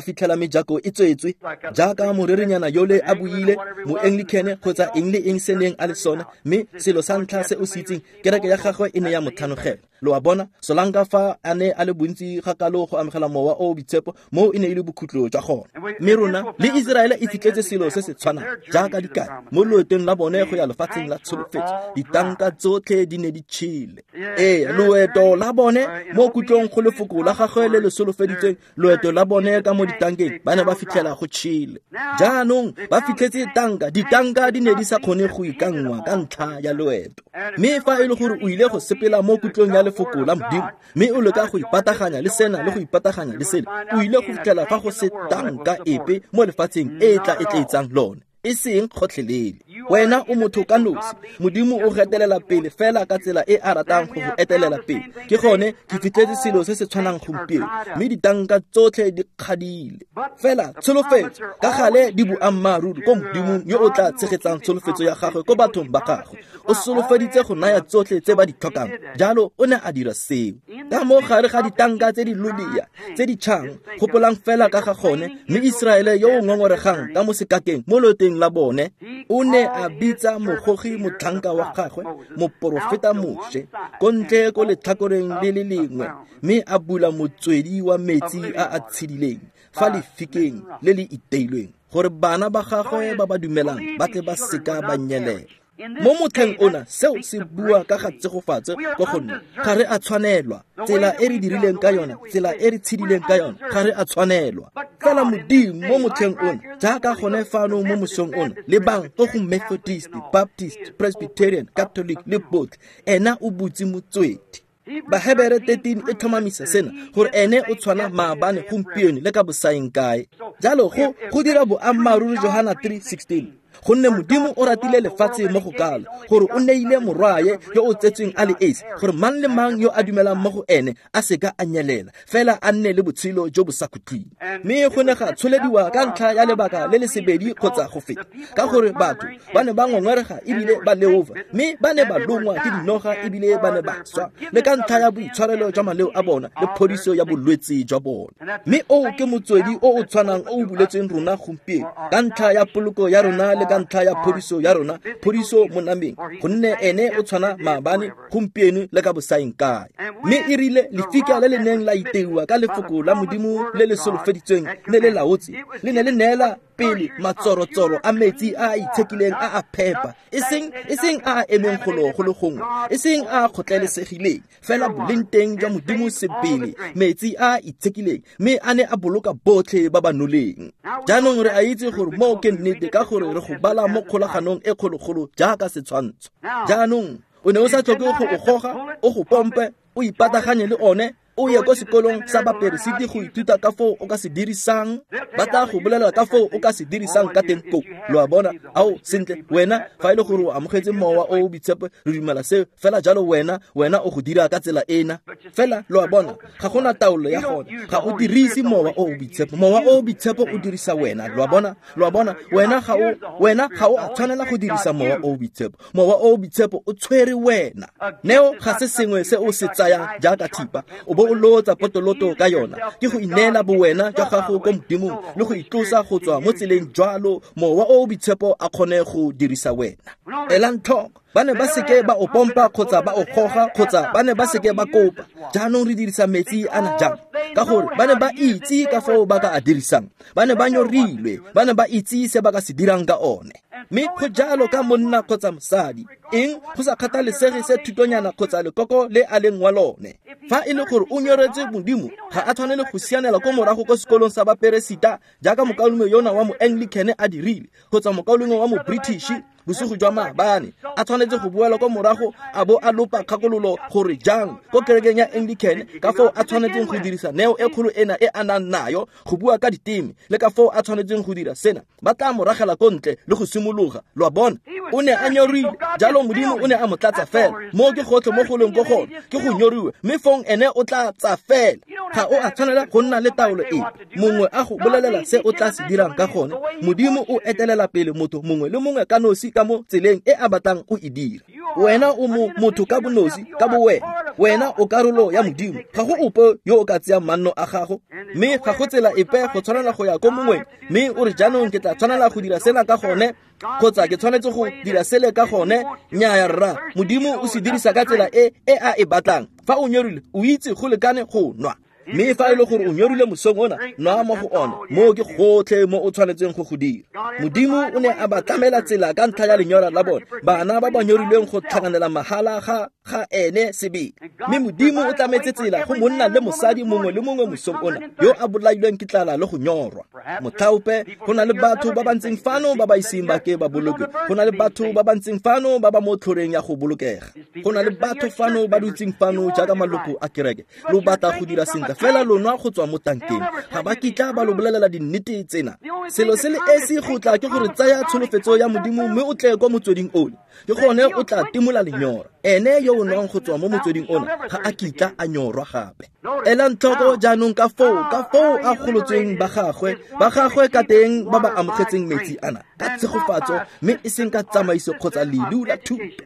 fitlhela mejako e tswetswe jaaka morerinyana yole a buile, mo-Anglican kgotsa eng le eng se neng a le sone, mme selo sa ntlha se o se itseng, kereke ya gagwe e ne ya mo tlhanogela. Lo a bona, solanka fa a ne a le bontsi ga kalo go amogela mowa o o boitshepo, moo e ne e le bokhutlo jwa gone. Mme rona le Israele e fitlhetse selo se se tshwanang jaaka dikai mo loetong la bone go ya lefatsheng la tsholofetso. Ditanka tsotlhe di ne di tšhele. Ee, loeto la bone mo kutlong go lefoko la gagwe le le solofeditsweng, loeto la bone ka mo ditankeng ba ne ba fitlhela go tšhele. Jaanong ba fitlhetse tanka, ditanka di ne di sa kgone go ikanngwa ka ntlha ya loeto. Mme fa e le gore o ile go sepela mo kutlong ya lefoko la Modimo, mme o leka go ipataganya le sena le go ipataganya le sele, o ile go fitlhela fa go se tanka epe mo lefatsheng e e tla etleetsang lone, e seng kgotlhelele. Wena o motho ka nosi, Modimo o getelela pele fela ka tsela e a ratang go go etelela pele. Ke gone ke fitlhetse selo se se tshwanang gompieno, mme ditanka tsotlhe di kgadile. Fela tsholofetso ka gale di boammaaruri ko Modimong yo o tla tshegetsang tsholofetso ya gagwe ko bathong ba gagwe. O solofeditse go naya tsotlhe tse ba di tlhokang, jalo o ne a dira seo. Ka mo gare ga ditanka tse di lolea tse di tšhang, gopolang fela ka ga gone, mme Iseraele yo o ngongoregang ka mo sekakeng mo loetong la bone, o ne a bitsa mogogi motlhanka wa gagwe, moporofeta Moshe, ko ntle ko letlhakoreng le le lengwe, mme a bula motswedi wa metsi a a tshedileng fa lefikeng le le iteilweng, gore bana ba gagwe ba ba dumelang ba tle ba seka ba nyelela. Mo motlheng ona seo se bua ka ga tsegofatso ko gonne ga re a tshwanelwa. Tsela e re dirileng ka yona, tsela e re tshedileng ka yona, ga re a tshwanelwa. Fela Modimo mo motlheng ona, jaaka gone fano mo mosong ona, lebang ko go Methodist, Baptist, Presbyterian, Catholic le botlhe, ena o butse motswedi. Bahebere thirteen e tlhomamisa sena, gore ene o tshwana maabane, gompieno le ka bosaeng kae. Jalo go go dira boammaaruri Johana three sixteen, gonne Modimo o ratile lefatshe mo go kalo, gore o neile morwaye yo o tsetsweng a le esi, gore mang le mang yo a dumelang mo go ene a seka a nyelela, fela a nne le botshelo jo bo sa khutleng. Mme go ne ga tsholediwa ka ntlha ya lebaka le le sebedi kgotsa go feta, ka gore batho ba ne ba ngongorega ebile ba leofa, mme ba ne ba longwa ke dinoga ebile ba ne ba swa, le ka ntlha ya boitshwarelo jwa maleo a bona le phodiso ya bolwetse jwa bona. Mme oo ke motswedi o o tshwanang o o buletsweng rona gompieno, ka ntlha ya poloko ya rona le ka ntlha ya phodiso ya rona, phodiso mo nameng, gonne ene o tshwana maabane, gompieno le ka bosaeng kae. Mme e rile lefika le le neng la iteiwa ka lefoko la Modimo le le solofeditsweng le le laotse, le ne le neela pele matsorotsoro a metsi a a itshekileng a a phepa, e seng e seng a a emeng golo go le gongwe, e seng a a kgotlelesegileng, fela boleng teng jwa Modimo sebele, metsi a a itshekileng, mme a ne a boloka botlhe ba ba noleng. Jaanong re a itse gore moo ke nnete, ka gore re go bala mo kgolaganong e kgologolo jaaka setshwantsho. Jaanong o ne o sa tlhoke go o goga, o go pompe, o ipataganye le one, o ye ko sekolong sa baperesiti go ithuta ka foo o ka se dirisang, ba tla go bolela ka foo o ka se dirisang ka teng koo. Lo a bona? Ao, sentle, wena fa e le gore o amogetse mowa o o boitshepo, re dumela seo, fela jalo wena, wena o go dira ka tsela ena. Fela lo a bona, ga gona taolo ya gone, ga o dirise mowa o o boitshepo, mowa o o boitshepo o dirisa wena. Lo a bona? Lo a bona? Wena ga o, wena ga o a tshwanela go dirisa mowa o o boitshepo, mowa o o boitshepo o tshwere wena. Neo ga se sengwe se o se tsayang jaaka thipa, o bo o lotsa potoloto ka yona, ke go ineela bowena jwa gago ko Modimong le go itlosa go tswa mo tseleng jwalo mowa o o boitshepo a kgone go dirisa wena. Elang tlhoko, ba ne ba seke ba o pompa kgotsa ba o goga kgotsa ba ne ba seke ba kopa. Jaanong re dirisa metsi ana jang? Ka gore ba ne ba itse ka foo ba ka a dirisang, ba ne ba nyorilwe, ba ne ba itse se ba ka se dirang ka one. Mme go jalo ka monna kgotsa mosadi, eng go sa kgathalesege se thutonyana kgotsa lekoko le a leng wa lone. Fa e le gore o nyoretse Modimo, ga a tshwanele go sianela ko morago ko sekolong sa baperesita jaaka mokaulengwe yona wa mo-Anglican a dirile, kgotsa mokaulengwe wa mo-British bosigo jwa maabane, a tshwanetse go boela ko morago a bo a lopa kgakololo gore jang ko kerekeng ya Anglican ka foo a tshwanetseng go dirisa neo e kgolo ena e a nang nayo go bua ka diteme, le ka foo a tshwanetseng go dira sena. Ba tla mo ragela ko ntle le go simologa. Lo a bona? O ne a nyorilwe, jalo Modimo o ne a mo tlatsa fela. Moo ke gotlhe mo go leng ko gone, ke go nyoriwe, mme fong ene o tla tsa fela. Ga o a tshwanela go nna le taolo epe, mongwe a go bolelela se o tla se dirang ka gone. Modimo o etelela pele motho mongwe le mongwe ka nosi ka mo tseleng e a batlang o e dira. Wena o mo motho ka bonosi, ka bowena, wena o karolo ya Modimo. Ga go ope yo o ka tseyang manno a gago, mme ga go tsela epe go tshwanela go ya ko mongweng, mme o re jaanong ke tla tshwanela go dira sena ka gone, kgotsa ke tshwanetse go dira sele ka gone. Nnyaya rra, Modimo o se dirisa ka tsela e e a e batlang. Fa o nyorilwe, o itse go lekane go nwa. Mme fa e le gore o nyorile mosong ona, nwa mo go ona, moo ke gotlhe mo o tshwanetseng go go dira. Modimo o ne a ba tlamela tsela ka ntlha ya lenyora la bone, bana ba ba nyorilweng go tlhakanela mahala ga ga ene sebele. Mme Modimo o tlametse tsela go monna le mosadi mongwe le mongwe mosong ona yo a bolailweng ke tlala le go nyorwa. Motlhaope go na le batho ba ba ntseng fano ba ba iseng ba ke ba boloke. Go na le batho ba ba ntseng fano ba ba mo tlhoreng ya go bolokega. Go na le batho fano ba dutseng fano jaaka maloko a kereke. Lo batla go dira sentle fela lo nwa go tswa mo tankeng. Ga ba kitla ba lo bolelela dinnete tsena. Selo se le esi go tla ke gore tsaya tsholofetso ya Modimo mme o tle kwa motsweding ole. Ke gone o tla timola lenyora. Ene yo o nwang go tswa mo motsweding ona ga a kitla a nyorwa gape. Elang tlhoko jaanong ka foo ka foo a golotsweng ba gagwe ba gagwe ka teng ba ba amogetseng metsi ana ka tshegofatso mme e seng ka tsamaiso kgotsa lelu la thuto.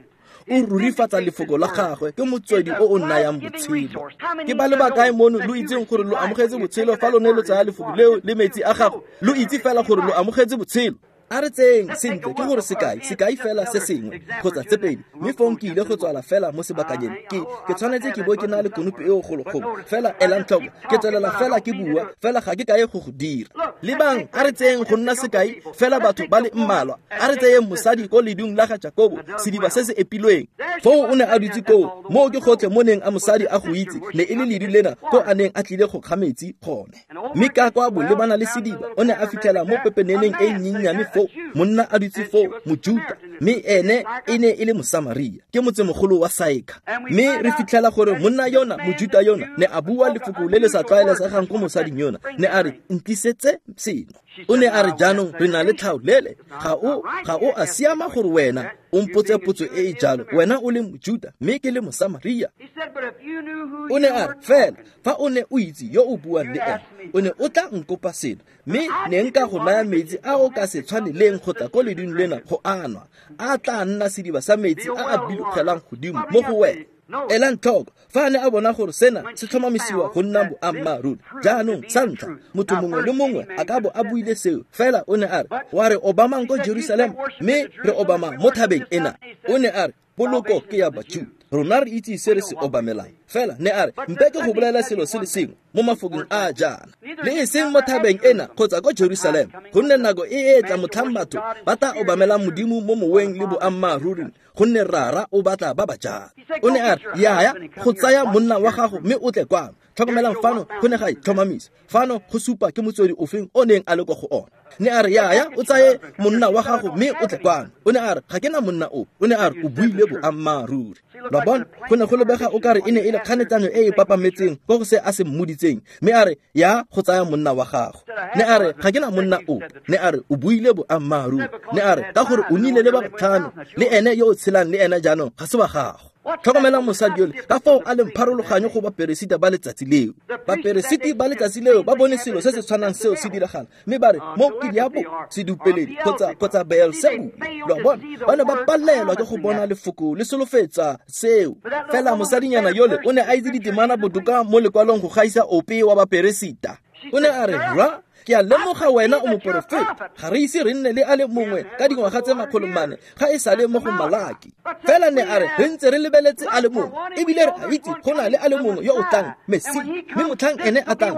O rurifatsa lefoko la gagwe ke motswedi o o nayang botshelo. Ke ba le bakae mono lo itseng gore lo amogetse botshelo fa lone lo tsaya lefoko leo le metsi a gagwe? Lo itse fela gore lo amogetse botshelo. A re tseyeng sentle ke gore sekai sekai fela se sengwe kgotsa tse pedi, mme fong ke ile go tswala fela mo sebakanyeng. Ke ke tshwanetse ke bo ke na le konopi eo gologolo fela elang tlhoko ke tswelela fela ke bua fela ga ke kae go go dira. Lebang, a re tseyeng go nna sekai fela batho ba le mmalwa. A re tseyeng mosadi ko ledung la ga Jakobo, sediba se se epilweng. Foo o ne a dutse koo, moo ke gotlhe mo neng a mosadi a go itse ne e le ledu lena ko a neng a tlile go kga metsi gone. Mme ka kwa bolebana le sediba o ne a fitlhela mo pepeneneng e nnyennyane foo monna a dutse foo, Mojuta, mme ene e ne e le Mosamaria, ke motsemogolo wa Saeka. Mme re fitlhela gore monna yona, Mojuta yona, ne a bua lefoko le le sa tlwaelesegang ko mosading yona, ne a re ntlisetse seno. O ne a re jaanong re na le tlhaolele, ga o ga o a siama gore wena o mpotse potso e e jalo, wena o le Mojuta mme ke le Mosamaria. O ne a re fela fa o ne o itse yo o buang le ene, o ne o tla nkopa seno, mme ne nka go naya metsi a o ka se tshwaneleng go tla ko ledung lena go anwa, a tla nna sediba sa metsi a a bilogelang godimo mo go wena. Elang tlhoko fa a ne a bona gore sena se tlhomamisiwa go nna boammaaruri. Jaanong sa ntlha motho mongwe le mongwe a ka bo a buile seo, fela o ne a re wa re obamang ko Jerusalema mme re obama mo thabeng ena. O ne a re poloko ke ya Bajuda, rona re itse se re se obamelang. Fela ne a re mpe ke go bolela selo se le sengwe mo mafokong a jaana, le e seng mo thabeng ena kgotsa ko Jerusalema, gonne nako e e tla motlhang batho ba tla obamelang Modimo mo moweng le boammaaruri, gonne Rara o batla ba ba jalo. O ne a re yaya go tsaya monna wa gago mme o tle kwano. Tlhokomelang fano go ne ga itlhomamisa fano go supa ke motswedi ofeng o neng a le kwa go ona. Ne a re yaya o tsaye monna wa gago mme o tle kwano. O ne a re ga ke na monna o. O ne a re o buile boammaaruri. Lo bona, go ne go lebega o kare e ne e le kganetsano e e papametseng ko go se a se mmoditseng, mme a re ya go tsaya monna wa gago. Ne a re ga ke na monna o. Ne a re o buile boammaaruri. Ne a re ka gore o nnile le ba batlhano, le ene yo o tshelang le ene jaanong ga se wa gago. Tlhokomelang mosadi yole ka foo a leng pharologanyo go baperesiti ba letsatsi leo. Baperesiti ba letsatsi leo ba bone selo se se tshwanang seo se diragala, mme ba re mo ke diabo sedupeledi kgotsa kgotsa Beelzebule. Lo a bona, ba ne ba palelwa ke go bona lefoko le solofetsa seo. Fela mosadinyana yole o ne a itse ditemana botoka mo lekwalong go gaisa ope wa baperesita. O ne a re rra, ke a lemoga wena o moporofeta, ga re ise re nne le a le mongwe ka dingwaga tse makgolo mane ga e sale mo go Malaki. Fela ne a re re ntse re lebeletse a le mongwe, ebile re a itse go na le a le mongwe yo o tlang, Mesia, mme motlhang ene a tlang,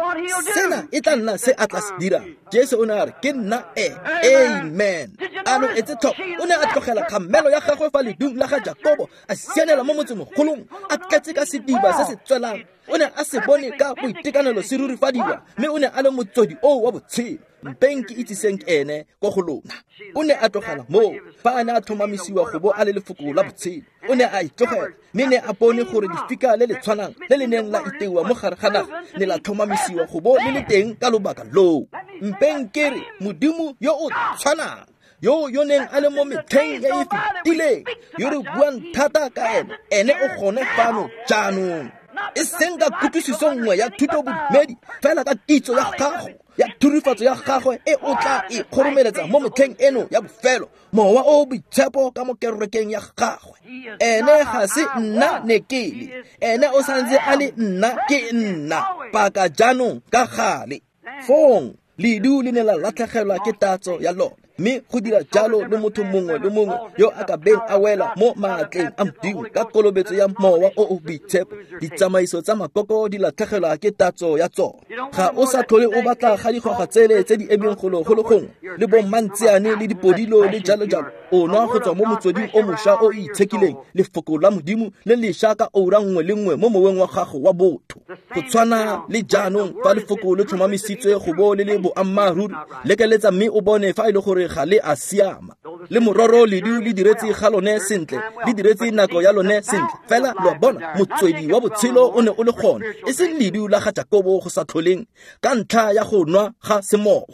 sena e tla nna se a tla se dirang. Jesu o ne a re ke nna e. Amen. A lo etse tlhoko, o ne a tlogela kgamelo ya gagwe fa ledung la ga Jakobo, a sianela mo motsemogolong, a tletse ka sediba se se tswelang. O ne a se bone ka boitekanelo se rurifadiwa, mme o ne a le motswedi oo wa botshelo. Mpeng ke itsiseng ene ko go lona. O ne a tlogela moo fa a ne a tlhomamisiwa go bo a le lefoko la botshelo. O ne a itlogela, mme ne a bone gore lefika le le tshwanang le le neng la iteiwa mo gare ga naga ne la tlhomamisiwa go bo le le teng ka lobaka loo. Mpeng ke re Modimo yo o tshwanang yo yo neng a le mo metlheng e e fetileng, yo re buang thata ka ene, ene o gone fano jaanong. E seng ka kutlwisiso nngwe ya thuto bodumedi, fela ka kitso ya gago ya thurifatso ya gagwe e o tla e kgoromeletsa mo metlheng eno ya bofelo, mowa o boitshepo ka mo kerekeng ya gagwe. Ene ga se nna ne ke le, ene o santse a le nna ke nna paka jaanong ka gale. Fong ledu le ne la latlhegelwa ke tatso ya lone, Mme go dira jalo le motho mongwe le mongwe yo a ka beng a wela mo maatleng a Modimo ka kolobetso ya Mowa o o Boitshepo, ditsamaiso tsa makoko di latlhegelwa ke tatso ya tsone. Ga o sa tlhole o batla ga digwagwa tsele tse di emeng golo go le gongwe le bommantseane le dipodilo le jalo jalo. O nwa go tswa mo motsweding o mošwa o o itshekileng, lefoko la Modimo le lešwa ka oura nngwe le nngwe mo moweng wa gago wa botho. Go tshwana le jaanong fa lefoko le tlhomamisitswe go bo le le boammaaruri, lekeletsa mme o bone fa e le gore ga le a siama. Le mororo ledu le diretse ga lone sentle, le diretse nako ya lone sentle, fela lo a bona motswedi wa botshelo o ne o le gone, e seng ledu la ga Jakobo go sa tlholeng ka ntlha ya go nwa ga semowa.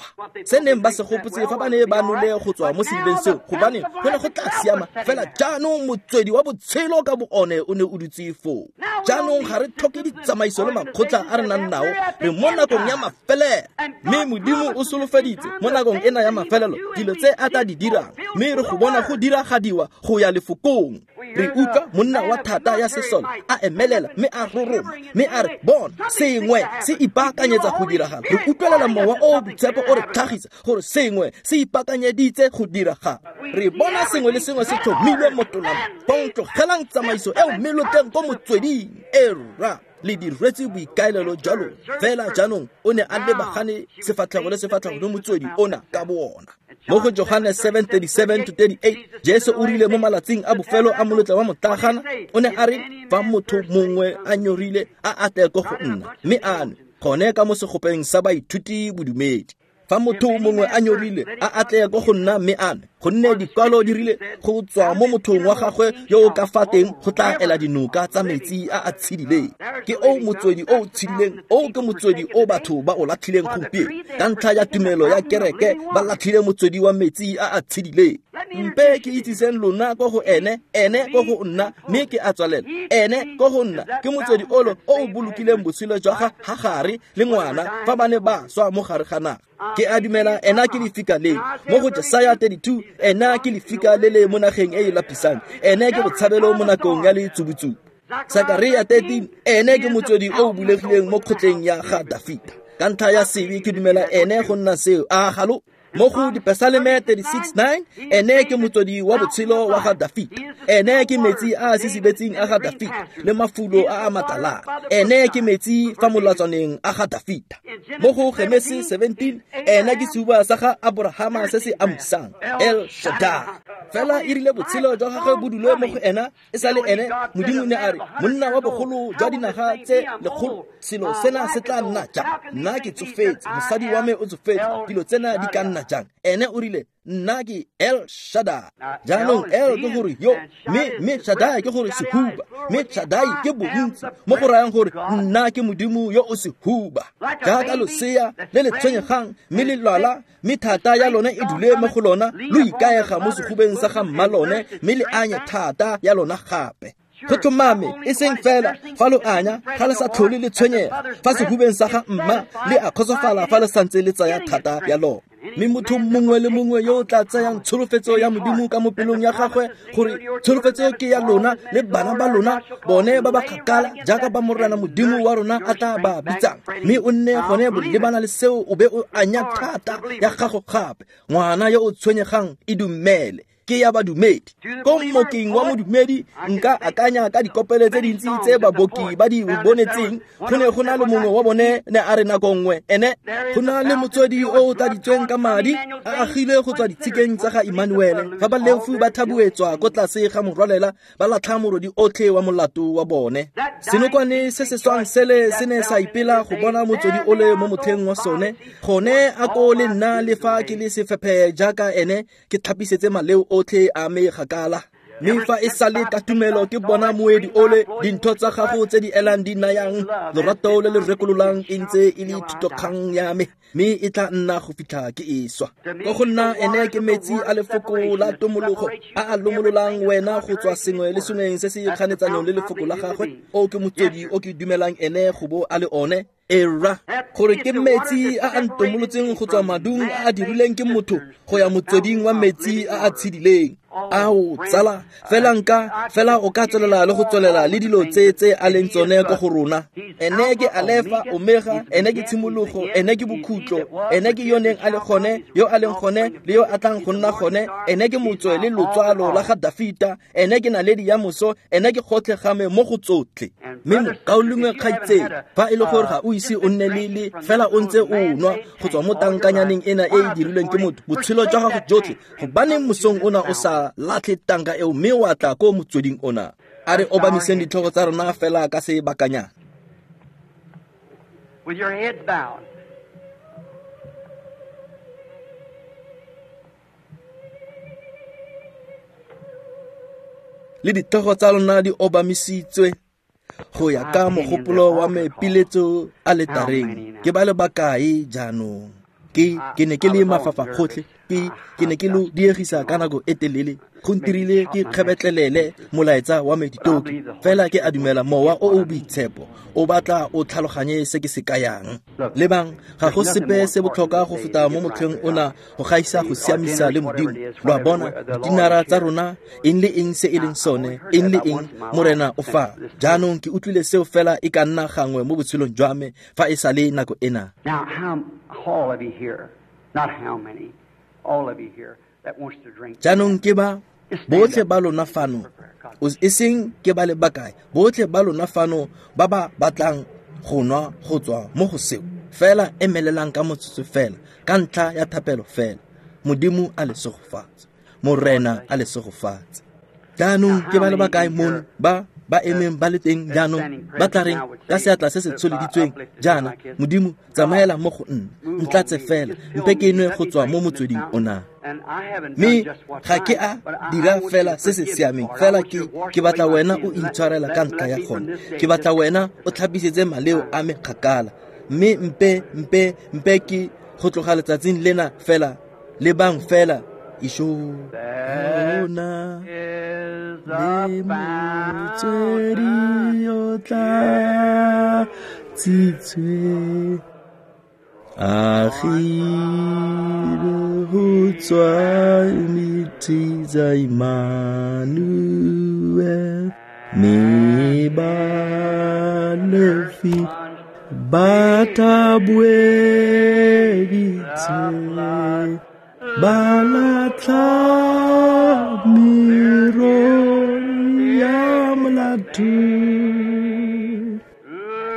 Se neng ba se gopotse fa ba ne ba nole go tswa mo sedibeng seo, gobane go ne go tla siama, fela jaanong motswedi wa botshelo ka bo one o ne o dutse foo. Jaanong ga re tlhoke ditsamaiso le makgotla a re nang nao, re mo nakong ya mafelelo. Mme Modimo o solofeditse mo nakong ena ya mafelelo dilo tse a tla di dirang, mme re go bona go diragadiwa go ya lefokong. Re utlwa monna wa thata ya sesole a emelela mme a roroma mme a re, bona sengwe se ipaakanyetsa go diragala. Re utlwelela Mowa o o Boitshepo o re tlhagisa gore sengwe se ipaakanyeditse go diragala. Re bona sengwe le sengwe se tlhomilwe mo tolamong. Tlogelang tsamaiso eo mme lo tleng ko motsweding. Era le diretse boikaelelo jwa lona. Fela jaanong o ne a lebagane sefatlhego le sefatlhego le motswedi ona ka bo ona. Mo go Johane seven thirty-seven to thirty-eight, Jesu o rile mo malatsing a bofelo a molotla wa motlagana, o ne a re, fa motho mongwe a nyorile a atle ko go nna mme a nwe, gone ka mo segopeng sa baithuti bodumedi. Fa motho mongwe a nyorile a atle ko go nna mme a nwe, gonne dikwalo di rile go tswa mo mothong wa gagwe yo o ka fa teng go tla ela dinoka tsa metsi a a tshedileng. Ke o motswedi o o tshedileng, o ke motswedi o batho ba o latlhileng gompieno. Ka ntlha ya tumelo ya kereke ba latlhile motswedi wa metsi a a tshedileng. Mpe ke itsiseng lona ko go ene, ene ko go nna, mme ke a tswalela. Ene ko go nna ke motswedi olo o o bolokileng botshelo jwa ga Hagare le ngwana fa ba ne ba swa mo gare ga naga. Ke a dumela ena ke lefika le. Mo go Jesaya thirty-two, ena ke lefika le le mo nageng e e lapisang, ene ke botshabelo mo nakong ya letsubutsubu. Sakaria thirteen, ene ke motswedi o o bulegileng mo kgotleng ya ga Dafita. Ka ntlha ya sebe ke dumela ene go nna seo. A galo. Mo go Dipesaleme thirty-six nine, ene ke motswedi wa botshelo wa ga Dafita. Ene ke metsi a a sisibetseng a ga Dafita le mafulo a a matalana. Ene ke metsi fa molatswaneng a ga Dafita. Mo go Genesi seventeen, ene ke sehuba sa ga Aborahama se se amusang, El Shaddai. Fela e rile botshelo jwa gagwe bo dule mo go ena, e sa le ene, Modimo ne a re, monna wa bogolo jwa dinaga tse lekgolo, selo sena se tla nna jang? Nna ke tsofetse, mosadi wa me o tsofetse, dilo tsena di ka nna jang? Ene o rile, nna ke El Shaddai. Jaanong El ke gore yo, mme mme Shaddai ke gore sehuba, mme Shaddai ke bontsi, mo go rayang gore nna ke Modimo yo o sehuba. Jaaka losea le le tshwenyegang mme le lwala, mme thata ya lone e dule mo go lona, lo ikaega mo sehubeng sa ga mma lone, mme le anye thata ya lona gape. Go tlhomame e seng fela fa lo anya ga le sa tlhole le tshwenyega fa sehubeng sa ga mma, le a kgotsofala fa le santse le tsaya thata ya lona. Mme motho mongwe le mongwe yo o tla tsayang tsholofetso ya Modimo ka mo pelong ya gagwe, gore tsholofetso ke ya lona le bana ba lona, bone ba ba kgakala jaaka ba Morena Modimo wa rona a tla ba bitsang, mme o nne gone bolebana le seo o be o anya thata ya gago gape. Ngwana yo o tshwenyegang e dumele, ke ya badumedi. Ko mmokeng wa modumedi nka akanya ka dikopelo tse dintsi tse baboki ba di bonetseng. Go ne go na le mongwe wa bone ne a re nako nngwe, ene go na le motswedi o o tladitsweng ka madi a agile go tswa ditshikeng tsa ga Emmanuele. Fa baleofi ba thabuetswa ko tlase ga morwalela, ba latlha morodi otlhe wa molato wa bone. Senokwane se se swang sele se ne sa ipela go bona motswedi ole mo motlheng wa sone. Gone a ko le nna le fa ke le sefephe jaaka ene, ke tlhapisetse maleo otlhe a me gakala. Mme fa e sale ka tumelo ke bona moedi ole, dintho tsa gago tse di elang di nayang lorato le le rekololang e ntse e le thitokgang ya me, mme e tla nna go fitlha ke e swa. Ko go nna ene ke metsi a lefoko la tomologo a a lomololang wena go tswa sengwe le sengweng se se kganetsanong le lefoko la gagwe. O ke motswedi o ke dumelang ene go bo a le one. Era gore ke metsi a a ntomolotseng go tswa madung a a dirileng ke motho go ya motsweding wa metsi a a tshedileng. Ao tsala fela nka fela o ka tswelela le go tswelela le dilo tse tse a leng tsone ko go rona. Ene ke Alefa Omega, ene ke tshimologo, ene ke bokhutlo, ene ke yo neng a le gone, yo a leng gone le yo a tlang go nna gone, ene ke motswe le lotswalo la ga Dafita, ene ke naledi ya moso, ene ke gotlhe ga me mo go tsotlhe. Mme mokaulengwe kgaitsedi, fa e le gore ga o ise o nne le le fela o ntse o nwa go tswa mo tankanyaneng ena e e dirilweng ke motho botshelo jwa gago jotlhe, gobaneng mosong ona o sa latlhe tanka eo mme wa tla ko motsweding ona? A re obamiseng ditlhogo tsa rona fela ka sebakanyana. With your heads bowed. Le ditlhogo tsa lona di obamisitswe go ya ka mogopolo wa me piletso a letareng. Ke ba le bakae jaanong? Ke ke ne ke le mafafa gotlhe, ke ke ne ke lo diegisa ka nako e telele, go ntirile ke kgebetlelele molaetsa wa me ditoki. Fela ke a dumela mowa o o boitshepo o batla o tlhaloganye se ke se kayang. Lebang, ga go sepe se botlhokwa go feta mo motlheng ona go gaisa go siamisa le Modimo. Lo a bona, dinara tsa rona, eng le eng se e leng sone, eng le eng Morena o fa. Jaanong ke utlwile seo fela e ka nna gangwe mo botshelong jwa me fa e sa le nako ena. Now, how all of you here, not how many, all of you here that wants to drink. Jaanong ke ba botlhe ba lona fano, e seng ke ba le bakae, botlhe ba lona fano ba ba batlang go nwa go tswa mo go seo, fela emelelang ka motsotso fela, ka ntlha ya thapelo fela. Modimo a le segofatse, Morena a le segofatse. Jaanong ke ba le bakae mono ba ba emeng ba le teng jaanong ba tla reng ka seatla se se tsholeditsweng jaana, Modimo tsamaela mo go nna, ntlatse fela, mpe ke nwe go tswa mo motsweding ona. Mme ga ke a dira fela se se siameng, fela ke ke batla wena o intshwarela ka ntlha ya gone, ke batla wena o tlhapisetse maleo a me kgakala, mme mpe mpe mpe ke go tloga letsatsing lena fela, lebang fela isho ona le motswedi o tlatsitswe agile go tswa metsi tsa Emmanuel, mme balefi ba thaboeditse ba latlha merolo ya molato,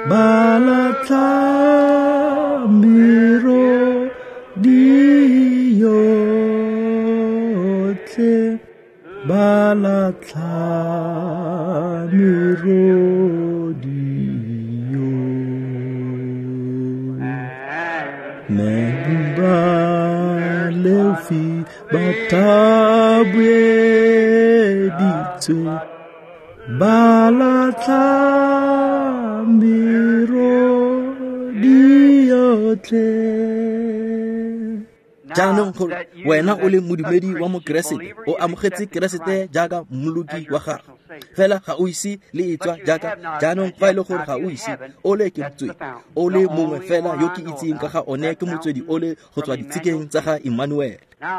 ba latlha merodi yotlhe, ba latlha merodi yotlhe. Mme balefi ba thaboeditswe ba latlha merodi yotlhe. Jaanong gore wena o le modumedi wa mokeresete, o amogetse Keresete jaaka mmoloki wa gago, fela ga o ise le e tswa jaaka jaanong. Fa e le gore ga o ise ole ke motswedi o le mongwe fela yo ke itseng ka ga one, ke motswedi ole go tswa ditshikeng tsa ga Emmanuel.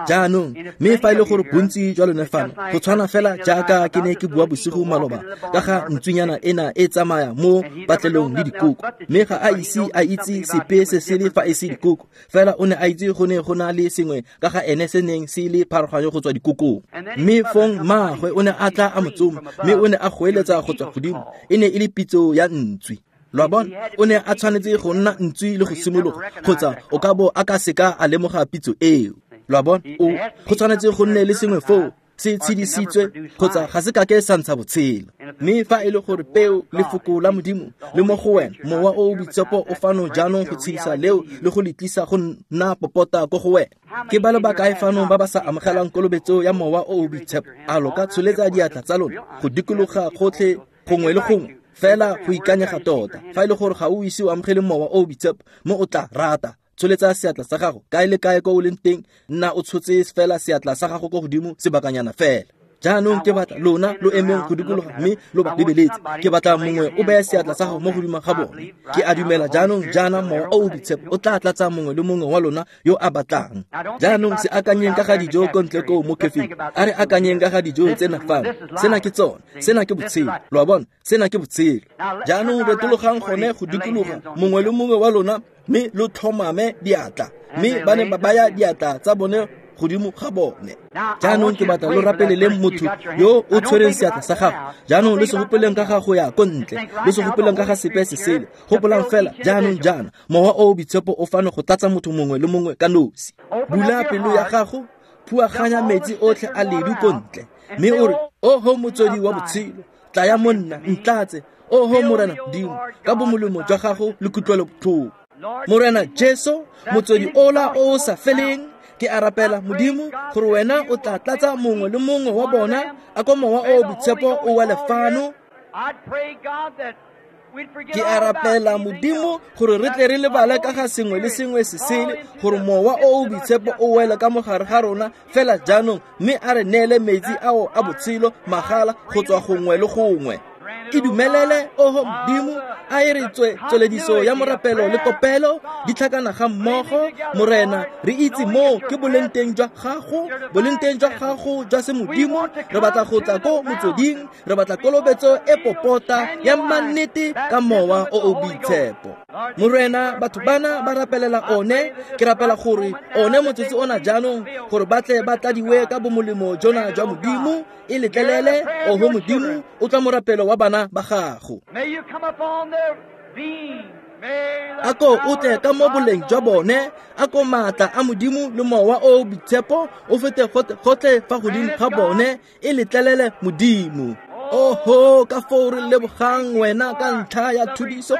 Jaanong mme fa e le gore bontsi jwa lone fano, go tshwana fela jaaka ke ne ke bua bosigo maloba ka ga ntswinyana ena e tsamaya mo patlelong le dikoko, mme ga a ise a itse sepe se sele fa e se dikoko, fela o ne a itse go ne go na le sengwe ka ga ene se neng se le pharologanyo go tswa dikokong. Mme fong mmaagwe o ne a tla a mo tsoma, mme o ne a goeletsa go tswa godimo, e ne e le pitso ya ntswi. Lo a bona, o ne a tshwanetse go nna ntswi le go simologa, kgotsa o ka bo a ka seka a lemoga pitso eo. Lo a bona, o go tshwanetse go nne le sengwe foo se tshedisitswe, kgotsa ga se kake sa ntsha botshelo. Mme fa e le gore peo lefoko la Modimo le mo go wena, mowa o o boitshepo o fano jaanong go tshedisa leo le go le tlisa go nna popota ko go wena. Ke ba le bakae fano ba ba sa amogelang kolobetso ya mowa o o boitshepo? A lo ka tsholetsa diatla tsa lona go dikologa gotlhe gongwe le gongwe fela go ikanyega tota? Fa e le gore ga o ise o amogele mowa o o boitshepo, mo o tla rata, tsholetsa seatla sa gago kae le kae ko o leng teng, nna o tshotse fela seatla sa gago ko godimo sebakanyana fela. Jaanong ke batla lona lo emeng go dikologa mme lo ba lebeletse. Ke batla mongwe o beye seatla sa gago mo godimo ga bone. Ke a dumela jaanong jaana Mowa o o Boitshepo o tla tlatsa mongwe le mongwe wa lona yo a batlang. Jaanong se akanyeng ka ga dijo ko ntle koo mo khefing. A re akanyeng ka ga dijo tsena fano. Sena ke tsone, sena ke botshelo. Lo a bona, sena ke botshelo. Jaanong retologang gone go dikologa mongwe le mongwe wa lona mme lo tlhomame diatla. Mme ba ne ba baya diatla tsa bone godimo ga bone. Jaanong ke batla lo rapeleleng motho yo o tshwereng seatla sa gago. Jaanong lo se gopoleng ka ga go ya ko ntle, lo se gopoleng ka ga sepe se sele. Gopolang fela jaanong jaana Mowa o o Boitshepo o fano go tlatsa motho mongwe le mongwe ka nosi. Bula pelo ya gago, phuaganya metsi otlhe a ledu ko ntle, mme o re, oho motswedi wa botshelo, tlaya mo nna, ntlatse, oho Morena Modimo, ka bomolemo jwa gago le kutlwelobotlhoko. Morena Jesu, motswedi ola o o sa feleng, ke a rapela Modimo gore wena o tla tlatsa mongwe le mongwe wa bona a ko Mowa o o Boitshepo o wele fano. Ke a rapela Modimo gore re tle re lebale ka ga sengwe le sengwe se sele, gore Mowa o o Boitshepo o wele ka mogare ga rona fela jaanong, mme a re neele metsi ao a botshelo magala go tswa gongwe le gongwe. E dumelele, oho Modimo, a e re tswe tswelediso ya morapelo le kopelo di tlhakana ga mmogo. Morena, re itse moo ke boleng teng jwa gago, boleng teng jwa gago jwa semodimo. Re batla go tla ko motsweding, re batla kolobetso e popota ya mannete ka Mowa o o Boitshepo. Morena, batho bana ba rapelela one. Ke rapela gore one motsotso ona jaanong gore ba tle ba tladiwe ka bomolemo jona jwa Modimo. E letlelele, oho Modimo, o tla morapelo wa bana ba gago. A ko o tle ka mo boleng jwa bone, a ko maatla a Modimo le Mowa o o Boitshepo o fete gotlhe fa godimo ga bone. E letlelele Modimo. Oho, ka foo re lebogang wena ka ntlha ya thudiso,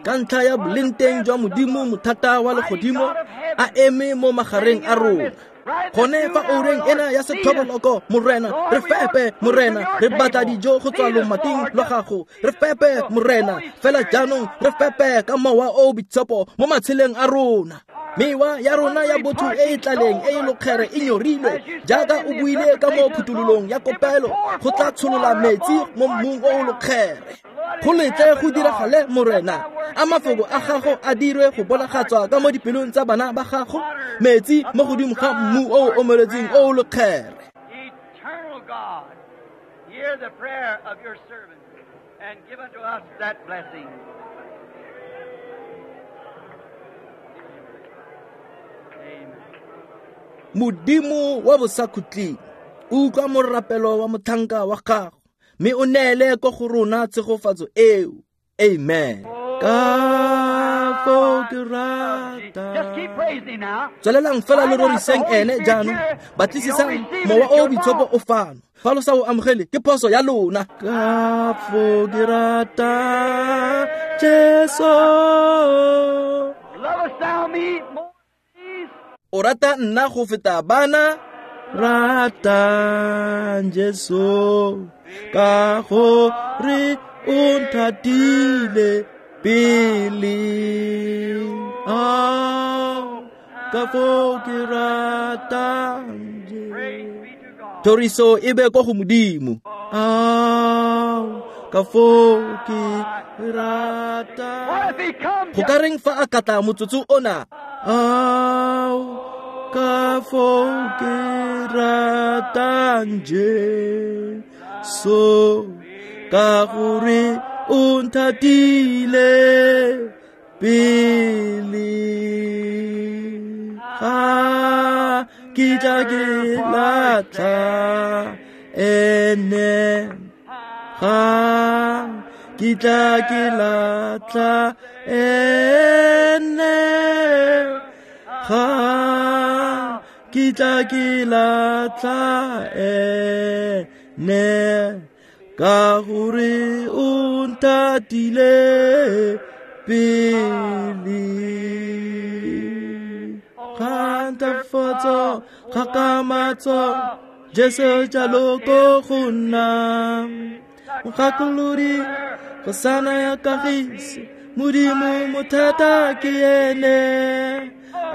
ka ntlha ya boleng teng jwa Modimo mothata wa legodimo a eme mo magareng a rona. Gone fa oureng ena ya sethoboloko, Morena, re fepe, Morena, re batla dijo go tswa lomating lwa gago. Re fepe, Morena, fela jaanong re fepe ka Mowa o o Boitshepo mo matsheleng a rona. Mewa ya rona ya botho e e tlaleng e e lokgere e nyorilwe, jaaka o buile ka mo phuthololong ya kopelo, go tla tsholola metsi mo mmung o o lokgere. Go letle go diragale, Morena, a mafoko a gago a dirwe go bonagatswa ka mo dipelong tsa bana ba gago, metsi mo godimo ga mmu o o omeletseng o o lokgere. Eternal God, hear the prayer of your servant and give unto us that blessing. Modimo wa bosakhutleng, utlwa morapelo wa motlhanka wa gago, mme o neele ko go rona tshegofatso eo. Amen. Ka foo ke rata. Just keep praising now. Tswelelang fela lo roriseng ene jaanong. Batlisisang Mowa o o Boitshepo o fano. Fa lo sa o amogele, ke phoso ya lona. Ka foo ke rata Jesu. Lovest thou me more than these? O rata nna go feta bana? Rata Jesu ka gore o nthatile pele. Ah, ka foo ke ratang Jesu. Thoriso e be ko go Modimo. Ah, ka foo ke ratang. What if he comes? Go ka reng fa a katla motsotso ona? Ah, ka foo ke ratang Jesu ka gore o nthatile pele. Ga kitla ke latlha ene, ga kitla ke latlha ene, ga kitla ke latlha ene, ka gore o nthatile pele. Kgantafatso, kgakgamatso, Jesu jalo ko go nna. Mogakolodi, kgosana ya kagiso, Modimo mothata ke ene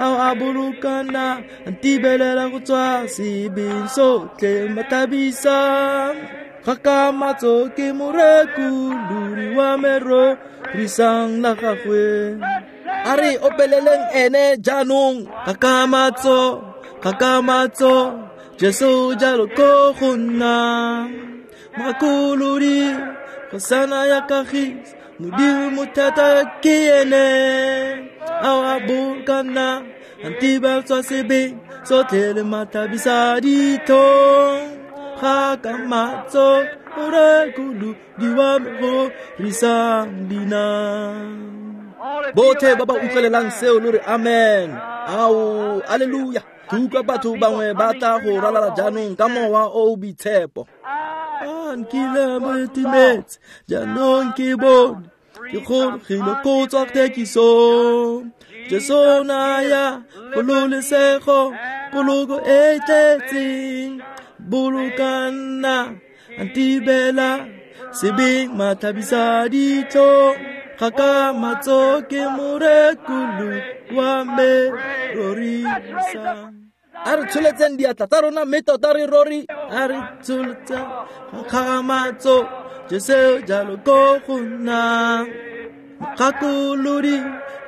ao a bolokana ntibelela go tswa sebeng sotlhe mathabisa kgakgamatso ke morekolodi wa me rorisang la gagwe. A re opeleleng ene jaanong kgakgamatso kgakgamatso Jesu jalo ko go nna mogakolodi kgosana ya kagiso Modimo mothata ke ene ao a bolokana ntiba tswa sebeng sotlhe le mathabisa ditlhong kgakgamatso morekolodi wa me rorisang leina. Botlhe ba ba utlwelelang seo lo re amen. Ao, alleluia. Ke utlwa batho bangwe ba tla go ralala jaanong ka mowa o o boitshepo. A nkile mo timetse jaanong ke bone ke gologile ko tswa thekisong. Jesu o naya kgololesego poloko e tletseng bolokana ntibela sebeng mathabisa ditlhong kgakgamatso ke morekolodi wa me rorisang. A re tsholetseng diatla tsa rona mme tota re rori. A re tsholetseng kgakgamatso Jesu jalo ko go nna mogakolodi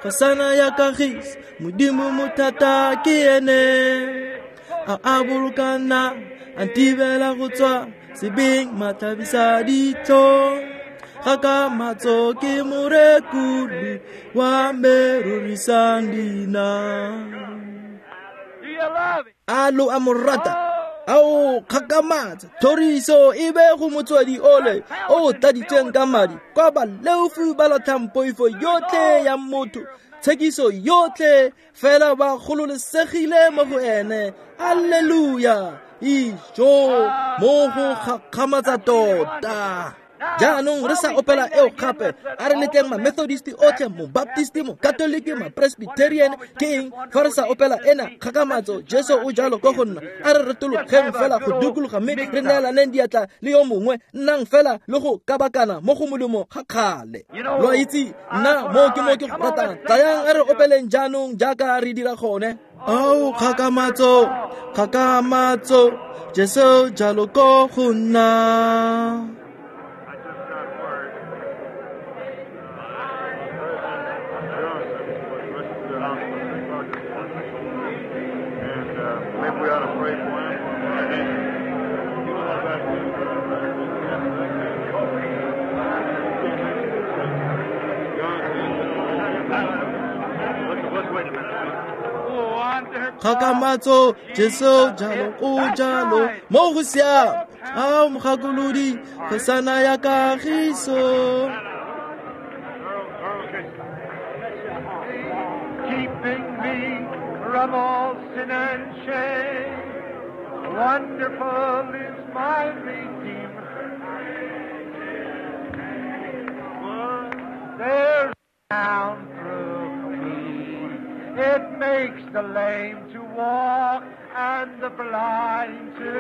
kgosana ya kagiso Modimo mothata ke ene a a bolokana a ntibela go tswa sebeng mathabisa ditlhong kgakgamatso ke morekolodi wa me rorisang leina. A lo a mo rata? Ao kgakgamatso thoriso e be go motswedi ole o tladitsweng ka madi kwa baleofi ba latlhang poifo yotlhe ya motho tshekiso yotlhe fela ba gololesegile mo go ene. Alleluia. Ijo mo go gakgamatsa tota. Jaanong re sa opela eo gape a re letleng ma-Methodist otlhe mo-Baptist mo-Catholic ma-Presbyterian ke eng fa re sa opela ena kgakgamatso Jesu o jalo ko go nna. A re retologeng fela go dikologa mme re neelaneng diatla le yo mongwe nnang fela le go kabakana mo go molemo ga kgale. Lo a itse nna mo ke mo ke go ratang. Tlayang a re opeleng jaanong jaaka re dira gone. Ao kgakgamatso kgakgamatso Jesu jalo ko go nna. Kgakgamatso Jesu jalo o jalo mo go siame. Ao mogakolodi kgosana ya kagiso. Keeping me from all sin and shame, wonderful is my Redeemer. There's down through me. It makes the lame to walk and the blind to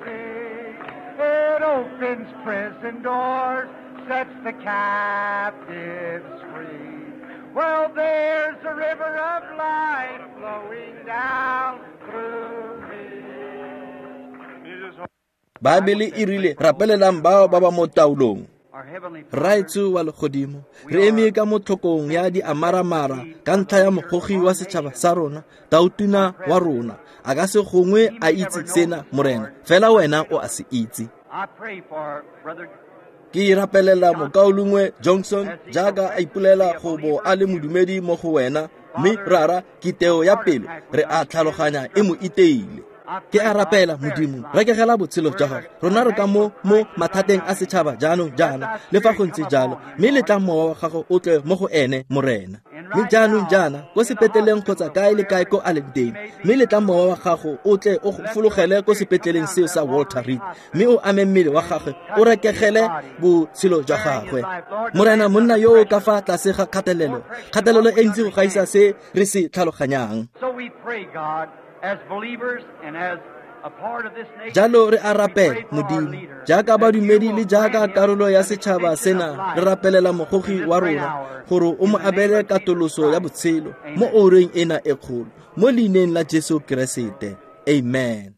see. It opens prison doors, sets the captives free. Well, there's a river of life flowing down through me. Baebele e rile rapelelang bao ba ba mo taolong. Raetsho wa legodimo re eme ka mo tlhokong ya diamaramara ka ntlha ya mogogi wa setšhaba sa rona tautuna wa rona a ka se gongwe a itse sena morena fela wena o a se itse. Ke rapelela mokaulengwe Johnson jaaka a ipolela go bo a le modumedi mo go wena mme rara kiteo ya pelo re a tlhaloganya e mo iteile. Ke a rapela Modimo rekegela botshelo jwa gago rona re ka mo mo mathateng a setšhaba jaanong jaana le fa go ntse jalo mme letla mowa wa gago o tle mo go ene morena. Mme jaanong jaana ko sepetleleng kgotsa kae le kae ko a leng teng mme letla mowa wa gago o tle o fologele ko sepetleleng seo sa Walter Reed mme o ame mmele wa gagwe o rekegele botshelo jwa gagwe. Morena monna yo o ka fa tlase ga kgatelelo kgatelelo e ntsi go gaisa se re se tlhaloganyang. As believers and as Jalo re a rapela, Modimo, jaaka badumedi le jaaka karolo ya setšhaba sena, re rapelela mogogi wa rona gore o mo abele katoloso ya botshelo mo oureng ena e kgolo, mo leineng la Jesu Keresete. Amen.